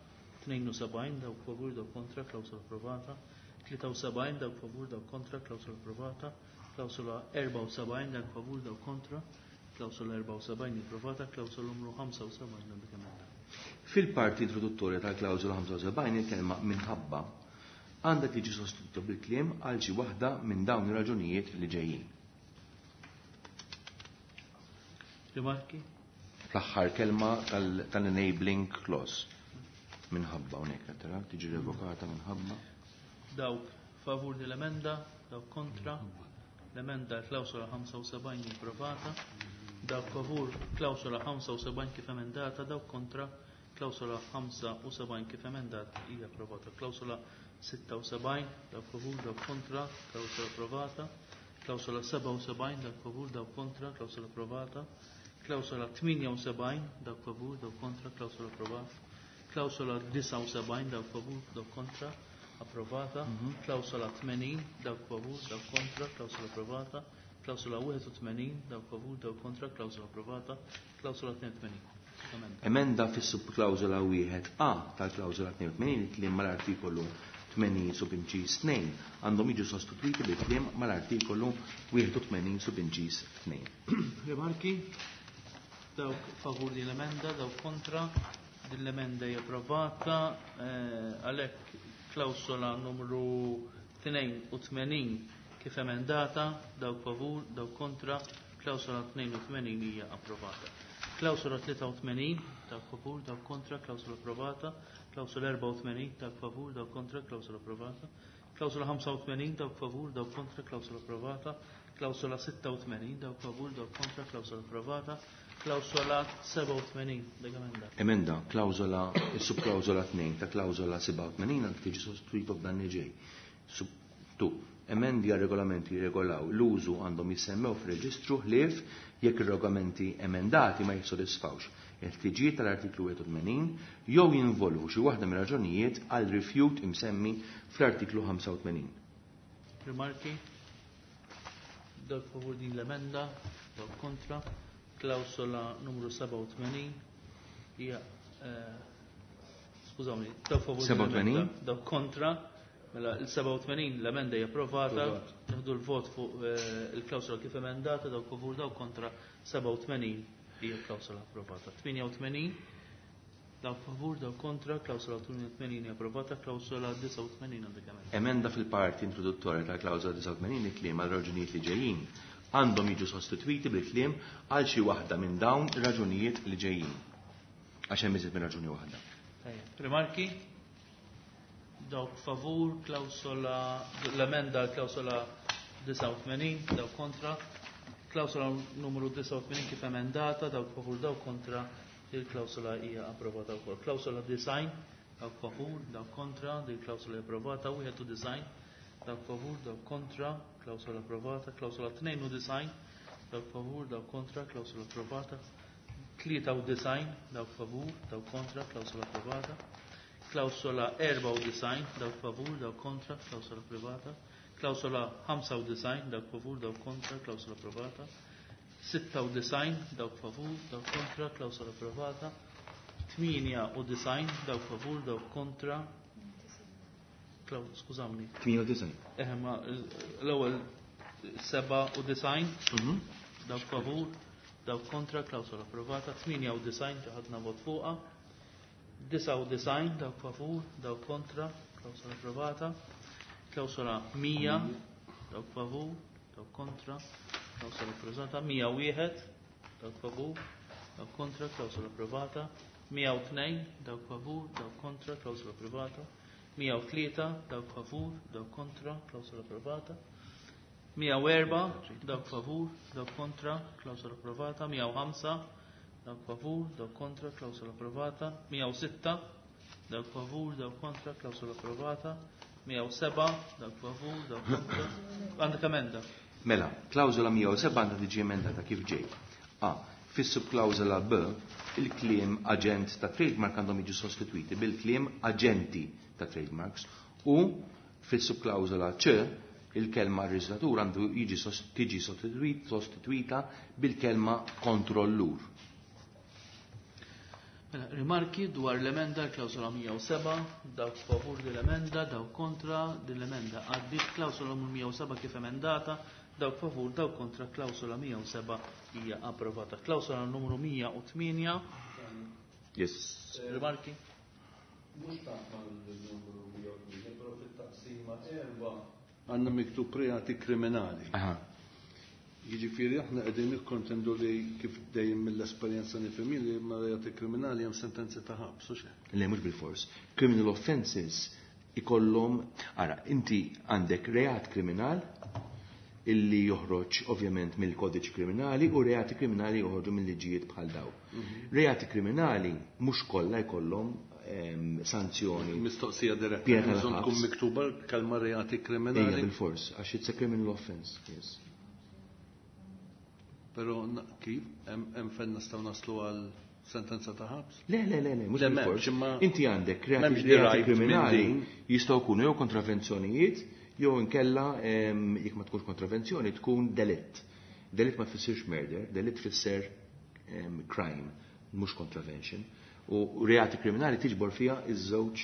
tnejn u sebgħin, dawk favur, dawk kontra, klawsola approvata, tlieta u sebgħin, dawk favur, dawk kontra, klawsola approvata, klawsola erbgħa u sebgħin, dawk favur, dawk kontra, klawsola erbgħa u sebgħin approvata, klawsola numru ħamsa u sebgħin għandek emenda. Fil-parti introduttorja tal-klawsola ħamsa u sebgħin il-kelma minħabba għandha tiġi sostituta bil-kliem għal xi waħda minn dawn ir-raġunijiet li ġejjin. Rimarki? Fl-aħħar kelma tal-, tal-enabling clause. Minħabba hawnhekk qed tara tiġi revokata minħabba. Dawk favur din l-emenda, dawk kontra. L-emenda klawsola ħamsa u sebgħin approvata. Dawk favur klawsola ħamsa u sebgħin kif emendata, dawk kontra klawsola ħamsa u sebgħin kif emendata hija approvata. Klawsola sitta u sebgħin, dawk favur, dawk kontra, klawsola approvata. Klawsola sebgħa u sebgħin, dawk favur, dawk kontra, klawsola approvata. Klawsola tmienja u sebgħin, dawk favur, dawk kontra, klawsola approvata. Klawsola disgħa u sebgħin, dawk favur, dawk kontra, approvata. Mhm. Klawsola tmenin, dawk favur, dawk kontra, klawsola approvata. Klawsola wieħed u tmenin, dawk favur, dawk kontra, klawsola approvata. Klawsola tnejn u tmenin. Emenda. Emenda fis-subklawsola wieħed A tal-klawsola tnejn u tmenin il-kliem mal-artikolu tmenin subinċis tnejn għandhom jiġu sostituiti bil-kliem mal-artikolu wieħed u tmenin subinċis tnejn. Rimarki? Dawk favur din l-emenda, dawk kontra, din l-emenda hija approvata, eh, għalhekk klawsola numru tnejn u tmenin kif emendata, dawk favur, dawk kontra, klawsola tnejn u tmenin hija approvata. Klawsola tlieta u tmenin, dawk favur, dawk kontra, klawsola approvata, klawsola erbgħa u tmenin, dawk favur, dawk kontra, klawsola approvata, klawsola ħamsa u tmenin, dawk favur, dawk kontra, klawsola approvata, klawsola sitta u tmenin, dawk favur, dawk kontra, klawsola approvata, klawsola sebgħa u tmenin, dik emenda. Emenda, klawsola, subklawsola tnejn ta' klawsola sebgħa u tmenin għandha tiġi sostituita b'dan li ġej. Sub tu, emendi għal regolamenti jirregolaw l-użu għandhom jissemmew fir-reġistru ħlief jekk ir-regolamenti emendati ma jissodisfawx il-ħtiġijiet tal-artiklu wieħed u tmenin jew jinvolvu xi waħda mir-raġunijiet għal rifjut imsemmi fl-artiklu ħamsa u tmenin. Rimarki? Dawk favur din l-emenda, dawk kontra. Klawsola numru sebgħa u tmenin hija, eh, skużawni, dawk favur din Sebgħa u tmenin? l-emenda, dawk kontra. Mela il-sebgħa u tmenin l-emenda hija approvata, Approvat. nieħdu l-vot fuq, eh, il-klawsola kif emendata, dawk favur, dawk kontra, sebgħa u tmenin hija klawsola approvata. Tmienja u tmenin, dawk favur, dawk kontra, klawsola tmienja u tmenin hija approvata, klawsola disgħa u tmenin għandek emenda. Emenda fil-parti introduttorja tal-klawsola disgħa u tmenin il-kliem għal raġunijiet li ġejjin għandhom jiġu sostituiti bil-kliem għal xi waħda minn dawn ir-raġunijiet li ġejjin. Għax hemm iżjed minn raġuni waħda. Tajjeb. Rimarki? Dawk favur, klawsola, l-emenda klawsola disgħa u tmenin, dawk kontra. Klawsola numru disgħa u tmenin kif emendata, dawk favur, dawk kontra, il-klawsola hija approvata wkoll. Klawsola design, dawk favur, dawk kontra, il-klawsola hija approvata, wieħed u design, dawk favur, dawk kontra, klawsola approvata, klawsola tnejn u design, dawk favur, dawk kontra, klawsola approvata, tlieta u design, dawk favur, dawk kontra, klawsola approvata, klawsola erba' u design, dawk favur, dawk kontra, klawsola approvata, klawsola ħamsa u design, dawk favur, dawk kontra, klawsola approvata, Sitta u disgħin dawk favur, dawk kontra, klawsola approvata. Tmienja u disgħin dawk favur, dawk kontra. Skużawni. Tmienja u disgħin. Eh, ma l-ewwel seba' u disgħin dawk favur, dawk kontra, klawsola approvata. Tmienja u disgħin ġaħadna vot fuqha. Disa' u disgħin dawk favur, dawk kontra, klawsola approvata. Klawsola mija, dawk favur, dawk kontra, klawsola approvata. Mija u wieħed, dawk favur, dawk kontra, klawsola approvata. Mija u tnejn, dawk favur, dawk kontra, klawsola approvata. Mija u tlieta, dawk favur, dawk kontra, klawsola approvata. Mija u erba', dawk favur, dawk kontra, klawsola approvata. Mija u ħamsa, dawk favur, dawk kontra, klawsola approvata. Mija u sitta, dawk favur, dawk kontra, klawsola approvata. Mija u seba', dawk favur, dawk kontra. Għandek emenda? Mela, klawsola mija u seba' għandha tiġi emendata kif ġej. A. Fis-subklawsola B, il-kliem aġent ta' trademark għandhom jiġu sostitwiti bil-kliem aġenti ta' trademarks u fis-subklawsola C, il-kelma reġistratur għandu jiġi tiġi sostitwita bil-kelma kontrollur. Mela, rimarki dwar l-emenda l-klawsola mija u seba', dawk favur din l-emenda, dawk kontra din l-emenda. Għaddiet klawsola mija u seba' kif emendata, dawk favur, dawk kontra, klawsola mija u seba' hija approvata. Klawsola numru mija u tmienja. Yes. Rimarki? Mhux tant mal-numru mija u tmienja, però fit-taqsima erba' għandna miktub reati kriminali. Aha. Jiġifieri aħna qegħdin nikkontendu li kif dejjem mill-esperjenza nifhem li ma' reati kriminali hemm sentenzi ta' ħabs, u xejn. Le, mhux bil-fors. Criminal offenses ikollhom, ara, inti għandek reat kriminal illi joħroġ ovvjament mill-kodiċi kriminali u reati kriminali joħorġu mill-liġijiet bħal daw. Reati kriminali mhux kollha jkollhom sanzjoni. Mistoqsija diretta. Piena Bżonn tal-ħabs. tkun miktuba kelma reati kriminali. Ejja bil-fors, għax it's a criminal offense, yes. Però kif? Hemm fejn nistgħu naslu għal sentenza ta' ħabs? Le, le, le, le, mhux Le, bil-fors. m'hemmx, imma Inti għandek reati m'hemmx reati derived minn kriminali din. jistgħu jkunu jew kontravenzjonijiet jew inkella, em, jekk ma tkunx kontravenzjoni tkun delitt. Delitt ma tfissirx murder, delitt tfisser, em, crime, mhux contravention. U reati kriminali tiġbor fiha iż-żewġ,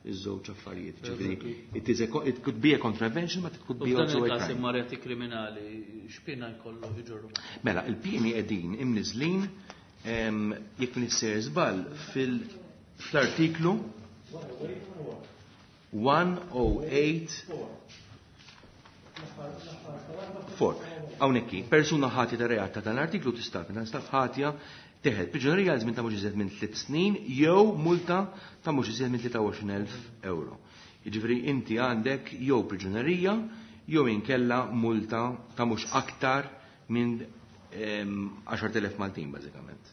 iż-żewġ affarijiet. Ġifieri, it is a co-, it could be a contravention, but it could be U f'dan also a il-każ crime. imma reati kriminali x'piena jkollu jġorru? Mela, il-pieni qegħdin imniżlin, em, jekk nissejjer żball fil-, fl-artiklu one oh eight four. Hawnhekk, persuna ħatja ta' reat ta' dan l-artiklu tista' tinstab ħatja teħel priġunerija għal żmien ta' mhux iżjed minn tliet snin jew multa ta' mhux iżjed minn tlieta u għoxrin elf euro. Jiġifieri inti għandek jew priġunerija jew inkella multa ta' mhux aktar minn, em, għaxart elef Maltin bażikament.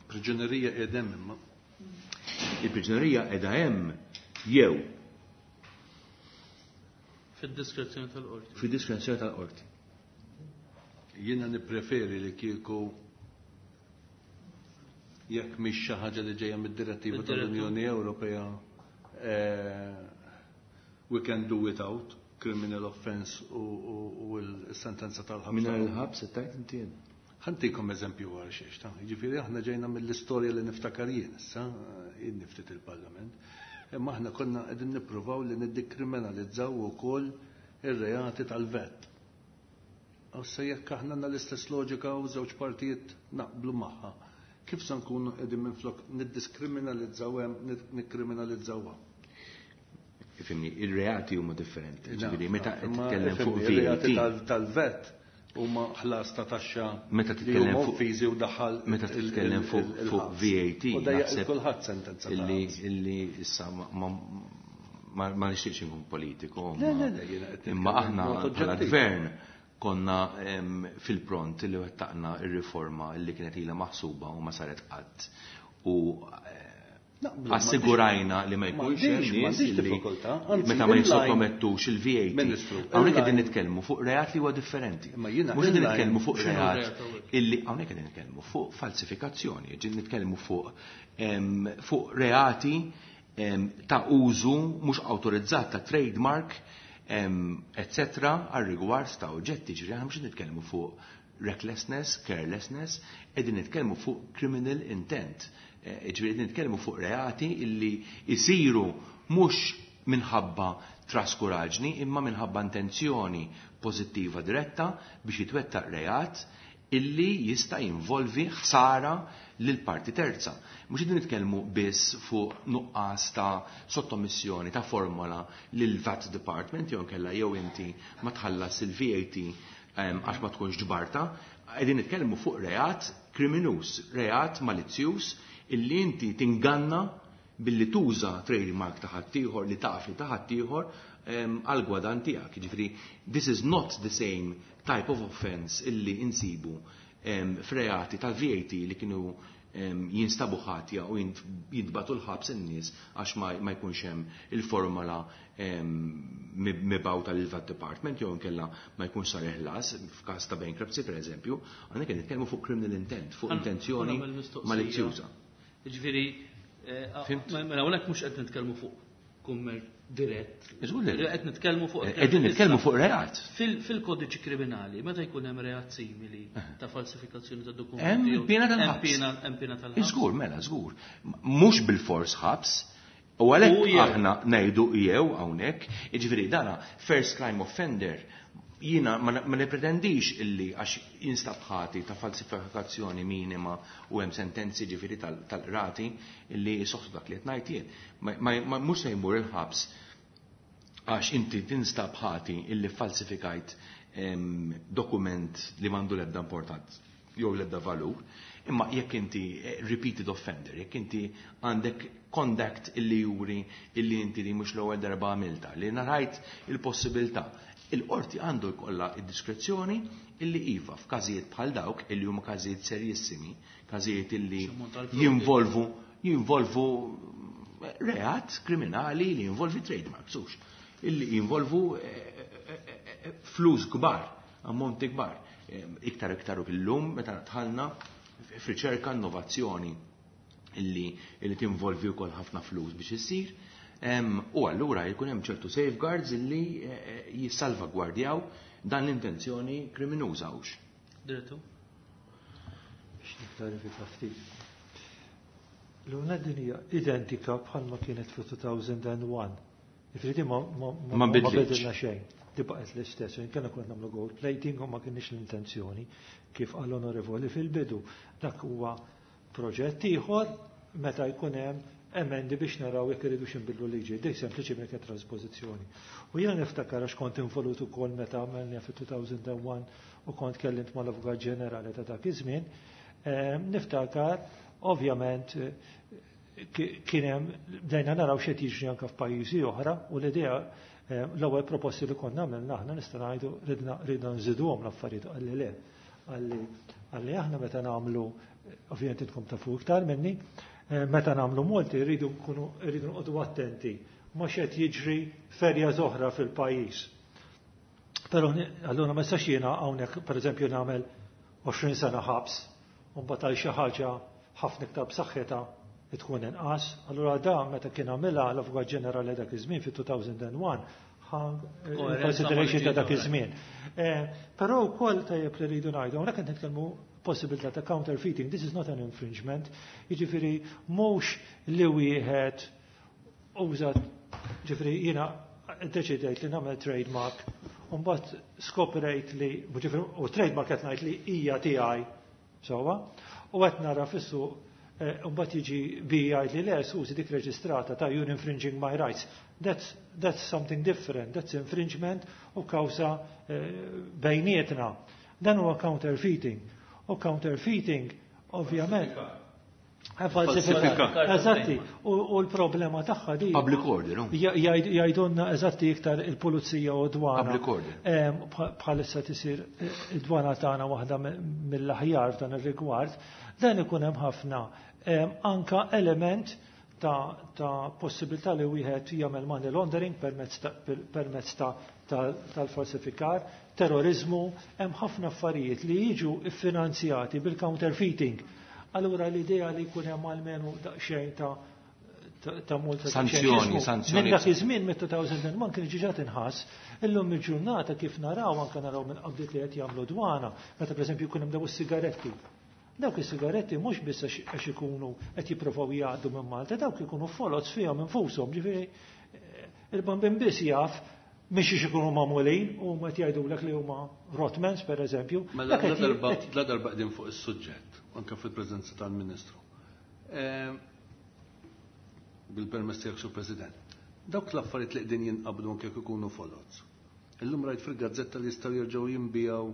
Priġunerija qiegħda hemm imma. Il-priġunerija qiegħda hemm jew fid-diskrezzjoni tal-qorti. Fid-diskrezzjoni tal-qorti. Jiena nippreferi li kieku jekk mhix xi ħaġa li ġejja mid-direttiva Mid-direttiva. tal-Unjoni Ewropea, eh, we can do without criminal offense u, u, u l-sentenza tal-ħabs. Mingħajr il-ħabs qed tgħid inti jien. Ħantikom eżempju għal xiex, ta' jiġifieri aħna ġejna mill-istorja li niftakar jien issa, jien niftit il-Parlament. Imma aħna konna qegħdin nippruvaw li niddikriminalizzaw ukoll ir-reati tal-vet. U se jekk aħna għandna l-istess loġika u żewġ partijiet naqblu magħha, kif se nkunu qegħdin minflok niddiskriminalizzaw hemm, nid-, nikkriminalizzawha? Ifhimni, ir-reati huma differenti. Na, Ġifieri, meta na, imma titkellem fuq ifhimni, ir-reati V A T. tal-, tal-vet huma ħlas ta' taxxa Meta li titkellem huma fuq offiżi u daħal meta il-, il-, titkellem fuq il-, fuq il-ħabs. V A T, U dejjaq naħseb kulħadd sentenza ta' illi ħabs. illi issa ma, ma, ma, ma nixtieqx inkun politiku, Le, imma le, le, jiena qed imma nitkellem aħna b'mod bħala oġġettiv. gvern konna, em, fil-pront li wettaqna ir-riforma li kienet ilha maħsuba u ma saret qatt. U, eh, Naqblu, ma assigurajna li ma ma jkunx m'għandix, hemm nies m'għandix li diffikultà, anzi, meta ma inline jissottomettux il-V A T. Ministru, Hawnhekk qegħdin inline nitkellmu fuq reat li huwa differenti. Imma jiena Mhux qegħdin inline nitkellmu fuq x'inhu reat reat hawnhekk? illi hawnhekk qegħdin nitkellmu fuq falsifikazzjoni, qegħdin nitkellmu fuq, em, fuq reati, em, ta' użu mhux awtorizzat ta' trademark, em, et cetera, għal rigward ta' oġġetti, ġifieri aħna mhux qed nitkellmu fuq recklessness, carelessness, qegħdin nitkellmu fuq criminal intent. Ġifieri qegħdin nitkellmu fuq reati illi jsiru mhux minħabba traskuraġni imma minħabba intenzjoni pożittiva diretta biex jitwettaq reat illi jista' jinvolvi ħsara lil parti terza. Mhux qegħdin nitkellmu biss fuq nuqqas ta' sottomissjoni ta' formola lil V A T Department jew inkella jew inti ma tħallas il-V A T għax ma tkunx ġbarta, qegħdin nitkellmu fuq reat kriminus, reat malizzjuż illi inti tinganna billi tuża trademark ta' ħaddieħor li taf li ta' ħaddieħor għal gwadan tiegħek. Jiġifieri this is not the same type of offense illi insibu f'reati tal-V A T li kienu jinstabu ħatja u jintbatu l-ħabs in-nies għax ma jkunx hemm il-formola mibgħuta lill-V A T Department jew inkella ma jkunx sar il-ħlas f'każ ta' bankruptcy pereżempju, għandna kien nitkellmu fuq criminal intent, fuq intenzjoni malizzjuża. Jiġifieri, mela hawnhekk mhux qed nitkellmu fuq kummer dirett. Qed nitkellmu fuq qegħdin nitkellmu fuq reat. Fil-kodiċi kriminali, meta jkun hemm reat simili ta' falsifikazzjoni ta' dokumenti. Hemm piena tal-ħabs. Hemm piena tal-ħabs. Żgur, mela, żgur. Mhux bil-fors ħabs, u għalhekk aħna ngħidu jew hawnhekk, jiġifieri dana first crime offender jiena ma nipretendix illi għax jinstab ħati ta' falsifikazzjoni minima u hemm sentenzi ġifieri tal-qrati illi jsoħħu dak li qed ngħid jien. Mhux se jmur il-ħabs għax inti tinstab ħati illi falsifikajt dokument li m'għandu l-ebda importanza jew l-ebda valur, imma jekk inti repeated offender, jekk inti għandek conduct illi juri illi inti li mhux l-ewwel darba għamilta, li narajt il-possibilità, il-qorti għandu jkollha id-diskrezzjoni illi iva f'każijiet bħal dawk illi huma każijiet serjissimi, każijiet illi jinvolvu jinvolvu reat kriminali li jinvolvi trademarks, hux, illi jinvolvu flus kbar, ammonti kbar. Iktar iktar u illum meta dħalna f'riċerka innovazzjoni illi illi tinvolvi wkoll ħafna flus biex issir. U allura jkun hemm ċertu safeguards illi jissalvagwardjaw dan l-intenzjoni kriminuża hux. Direttur? Biex niklarifika ftit. L-una din hija identika bħalma kienet fi two thousand and one. Jiġifieri ma ma bidilna xejn. Di baqgħet l-istess, inkella konna nagħmlu gold plating u ma kienx l-intenzjoni kif qal l-onorevoli fil-bidu. Dak huwa proġett ieħor meta jkun hemm emendi biex naraw jekk iridu x'inbidlu liġi, dik sempliċiment kienet trasposizzjoni. U jiena niftakar għax kont involut ukoll meta għamilna fi two thousand and one u kont kellimt mal-Avukat Ġenerali ta' dak iż-żmien, niftakar ovvjament kien hemm bdejna naraw x'qed jiġri anke f'pajjiżi oħra u l-idea l-ewwel proposti li konna għamilna aħna nista' ngħidu ridna ridna nżiduhom l-affarijiet, qalli le, qalli qalli aħna meta nagħmlu, ovvjament intkom tafu iktar minni, meta nagħmlu multi rridu nkunu rridu nqogħdu attenti ma x'qed jiġri ferja oħra fil-pajjiż. Però allura ma nistax jiena hawnhekk pereżempju nagħmel għoxrin sena ħabs u mbagħad għal xi ħaġa ħafna iktar b'saħħitha tkun inqas. Allura da meta kien għamilha l-Avukat Ġenerali dak iż-żmien fi two thousand and one consideration ta' dak iż-żmien. Però wkoll tajjeb li rridu ngħidu hawnhekk qed nitkellmu possibilità ta' counterfeiting, this is not an infringement, jiġifieri mhux li wieħed użat, jiġifieri jiena ddeċidejt li nagħmel trademark u mbagħad skoprejt li, jiġifieri, u trademark qed ngħid li hija tiegħi sewwa, u qed nara fis-suq u mbagħad jiġi bi jgħid li le, sużi dik reġistrata ta' you're infringing my rights. That's, that's something different, that's infringement u kawża bejnietna. Dan huwa counterfeiting. U counterfeiting, ovvjament, falsifikar. Eżatti, u l-problema tagħha di. Public order, no? Jgħidulna eżatti iktar il-pulizija u dwana. Public order. Bħalissa tisir id-dwana tagħna waħda mill-aħjar f'dan ir-rigward, dan ikun hemm ħafna anka element ta', ta' possibilità li wieħed jagħmel money laundering permezz ta', permezz ta', ta, tal-falsifikar, terrorizmu, hemm ħafna affarijiet li jiġu iffinanzjati bil-counterfeiting. Allura l-idea li jkun hemm almenu daqsxejn ta', ta' multa. Sanzjoni, sanzjoni. Minn dak iż-żmien mit-elfejn u wieħed kien ġiġa tinħass, illum il-ġurnata kif naraw anke naraw minn qabdiet li qed jagħmlu dwana, meta pereżempju jkun hemm daw is-sigaretti. Dawk is-sigaretti mhux biss għax ikunu qed jippruvaw jgħaddu minn Malta, dawk ikunu foloz fihom infushom, ġifieri il-bambin biss jaf mhix ikunu magħmulin u ma jgħidulek li huma Rothmans pereżempju. Mela la darba qegħdin fuq is-suġġett, anke fil-preżenza tal-Ministru. Bil-permess tiegħek, Sur President. Dawk l-affarijiet li qegħdin jinqabdu anke jekk ikunu foloz. Illum rajt fil-gazzetta li jistgħu jerġgħu jinbiegħu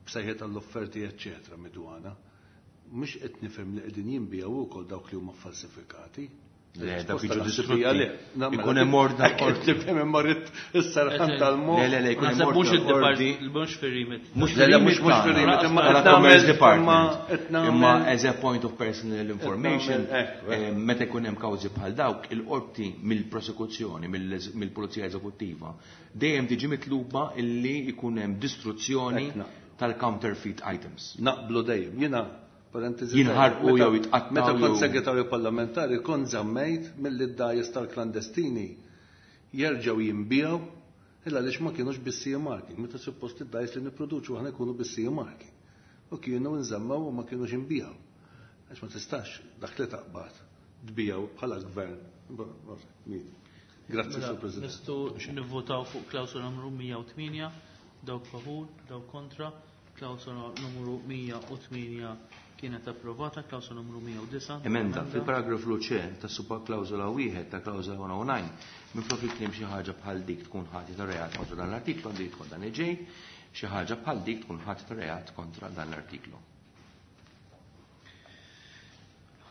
b'sejħiet għall-offerti eċċetera mid-dwana. Mhux qed nifhem li qegħdin jinbiegħu wkoll dawk li huma falsifikati. Le, dawk jiġu distrutti. Ikun hemm ordni qorti. Tifhem imma rrid is-serħan tal-mod. Le, le, le, ikun hemm ordni qorti. Mhux fir-remit. Mhux fir-remit, mhux fir-remit, imma Commerce Department. Imma as a point of personal information, meta jkun hemm kawżi bħal dawk, il-qorti mill-prosekuzzjoni, mill-Pulizija Eżekuttiva, dejjem tiġi mitluba illi jkun hemm distruzzjoni tal-counterfeit items. Naqblu dejjem. Jiena jinħarqu jew jitqattgħu. Meta kont segretarju parlamentari kont żammejt milli d-dgħajjes tal-klandestini jerġgħu jinbiegħu illa għaliex ma kienux bis-C E marking. Meta suppost id-dgħajjes li nipproduċu aħna jkunu bis-C E marking. U kienu nżammaw u ma kienux jinbiegħu. Għax ma tistax dak li taqbad tbiegħu bħala gvern. Grazzi, Sur President. Nistgħu nivvotaw fuq klawsola numru mija u tmienja, dawk favur, dawk kontra, klawsola numru mija u tmienja kienet approvata, klawsola numru mija u disa'. Emenda fil-paragrafu C ta' subklawsola wieħed ta' klawsola one oh nine, minflok il-kliem xi ħaġa bħal dik tkun ħati ta' reat kontra dan l-artiklu, għandu jidħol dan il-ġej, xi ħaġa bħal dik tkun ħati ta' reat kontra dan l-artiklu.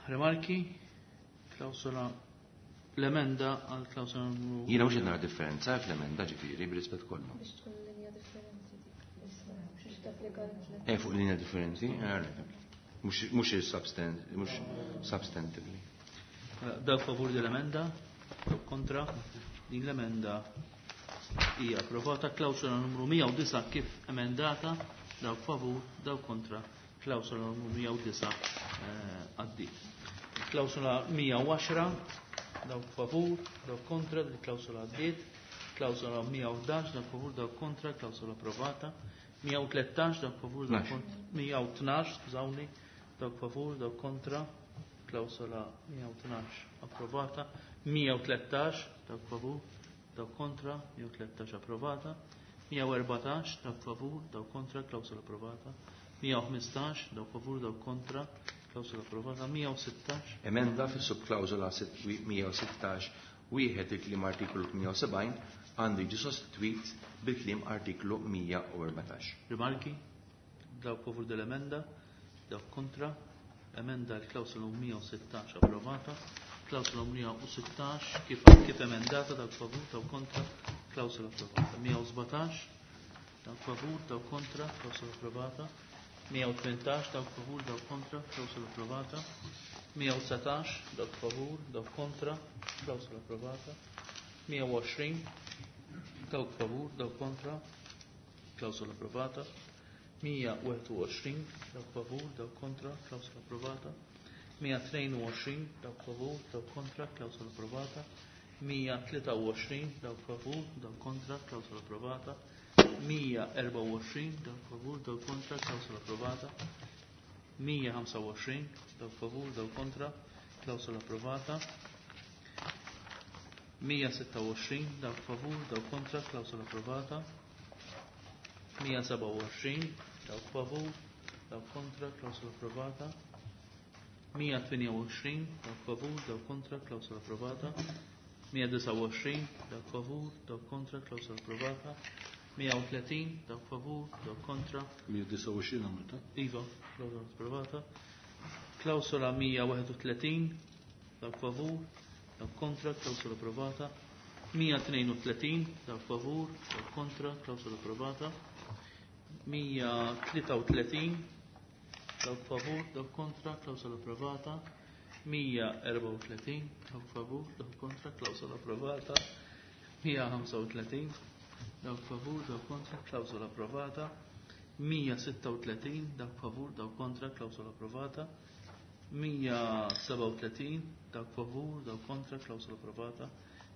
Rimarki, klawsola l-emenda għal klawsola numru. Jiena mhux qed nara differenza fl-emenda ġifieri bir-rispett kollu. Biex tkun linja differenti dik. Biex tapplika l-tliet. Eh, fuq linja differenti, eh, mhux il-substan-, mhux substantively. Dawk favur din l-emenda, dawk kontra, din l-emenda hija approvata. Klawsola numru mija u disa' kif emendata, dawk favur, dawk kontra, klawsola numru mija u disa', eh, għaddiet. Klawsola mija u għaxra, dawk favur, dawk kontra, din klawsola għaddiet. Klawsola mija u ħdax, dawk favur, dawk kontra, klawsola approvata. Mija u tlettax, dawk favur, dawk kontra, mija u tnax, skużawni, dawk favur, dawk kontra, klawsola mija u tnax approvata. Mija u tlettax, dawk favur, dawk kontra, mija u tlettax approvata. Mija u erbatax, dawk favur, dawk kontra, klawsola approvata. Mija u ħmistax, dawk favur, dawk kontra, klawsola approvata. Mija u sittax. Emenda fis-subklawsola mija u sittax wieħed il-kliem artiklu tmienja u sebgħin għandu jiġi sostitwit bil-kliem artiklu mija u erbatax. Rimarki, dawk favur dell-emenda, dawk kontra, emenda l-klawsola mija u sittax approvata, klawsola mija u sittax kif, kif emendata, dawk favur, dawk kontra, klawsola approvata. Mija u sbatax, dawk favur, dawk kontra, klawsola approvata. Mija u tmintax, dawk favur, dawk kontra, klawsola approvata. Mija u dsatax, dawk favur, dawk kontra, klawsola approvata. Mija u għoxrin, dawk favur, dawk kontra, klawsola approvata. Mija u wieħed u għoxrin, dawk favur, dawk kontra, klawsola approvata. Mija tnejn u għoxrin, dawk favur, dawk kontra, klawsola approvata. Mija tlieta u għoxrin, dawk favur, dawk kontra, klawsola approvata. Mija erba' u għoxrin, dawk favur, dawk kontra, klawsola approvata. Mija ħamsa u għoxrin, dawk favur, dawk kontra, klawsola approvata. Mija sitta u għoxrin, dawk favur, dawk kontra, klawsola approvata. Mija seba' u għoxrin, dawk favur, dawk kontra, klawsola approvata. Mija tmienja u għoxrin, dawk favur, dawk kontra, klawsola approvata. Mija disa' u għoxrin, dawk favur, dawk kontra, klawsola approvata. Mija u tletin, dawk favur, dawk kontra. Mija disa' u għoxrin għamilta? Iva, klawsola approvata. Klawsola mija wieħed u tletin, dawk favur, dawk kontra, klawsola approvata. Mija tnejn u tletin, dawk favur, dawk kontra, klawsola approvata. Mija tlieta u tletin, dawk favur, dawk kontra, klawsola approvata. Mija erba' u tletin, dawk favur, dawk kontra, klawsola approvata. Mija ħamsa u tletin, dawk favur, dawk kontra, klawsola approvata. Mija sitta u tletin, dawk favur, dawk kontra, klawsola approvata. mija sebgħa u tletin dawk favur, dawk kontra, klawsola approvata.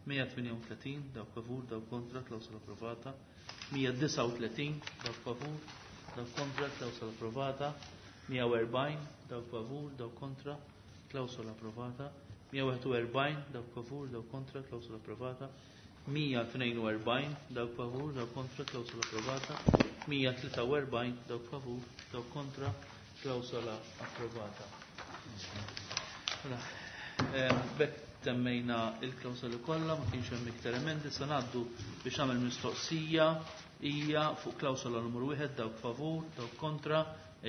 mija tmienja u tletin dawk favur, dawk kontra, klawsola approvata. mija disgħa u tletin dawk favur, dawk kontra, klawsola approvata. mija u erbgħin dawk favur, dawk kontra, klawsola approvata. mija wieħed u erbgħin dawk favur, dawk kontra, klawsola approvata. mija tnejn u erbgħin dawk favur, dawk kontra, klawsola approvata. mija tlieta u erbgħin dawk favur, dawk kontra, klawsola approvata. Mela, ehm, bekk temmejna il-klawsoli kollha, ma kienx hemm iktar emendi, se ngħaddu biex nagħmel mistoqsija hija fuq klawsola numru wieħed dawk favur, dawk kontra,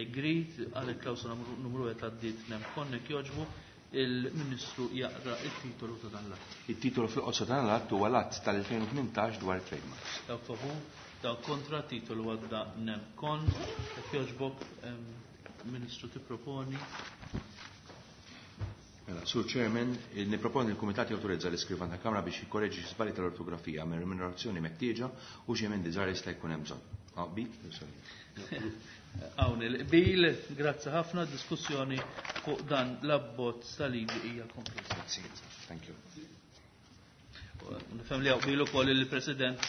agreed, għal il-klawsola numru wieħed għaddiet nem konnek jogħġbu, il-Ministru jaqra il-titolu ta' dan l-att. Il-titolu fil-qosor ta' dan l-att huwa l-att tal-elfejn u tmintax dwar trademarks. Dawk favur, dawk kontra, titolu għadda nem kon, jekk jogħġbok, ehm, Ministru tipproponi. Mela, Sur Chairman, niproponi l-Kumitat jawtorizza l-iskrivan ta' Kamra biex jikkoreġi xi żbalji tal-ortografija minn remunerazzjoni meħtieġa u xi emendi żgħar jista' jkun hemm bżonn. Ah, bi? Sorry. Hawn il-qbil, grazzi ħafna, diskussjoni fuq dan l-abbozz tal-liġi hija konklusa. Grazzi, thank you. Nifhem li hawn qbil ukoll il-President,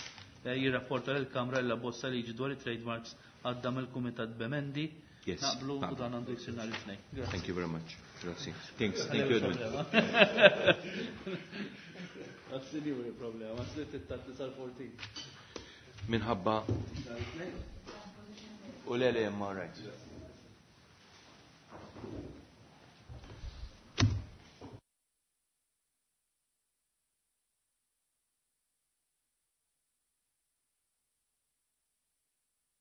eh, jirrapporta lill-Kamra l-abbozz tal-liġi dwar it-trademarks għadda mill-Kumitat b'emendi. Yes. Naqblu u Naqblu. dan għandu jsir nhar it-tnejn. Grazzi. Thank you very much. Grazzi. Thanks. Thank you, Edwin. Grazzi li hu problema, għasli tittat li sal-fourteen. Minħabba u le le ma right.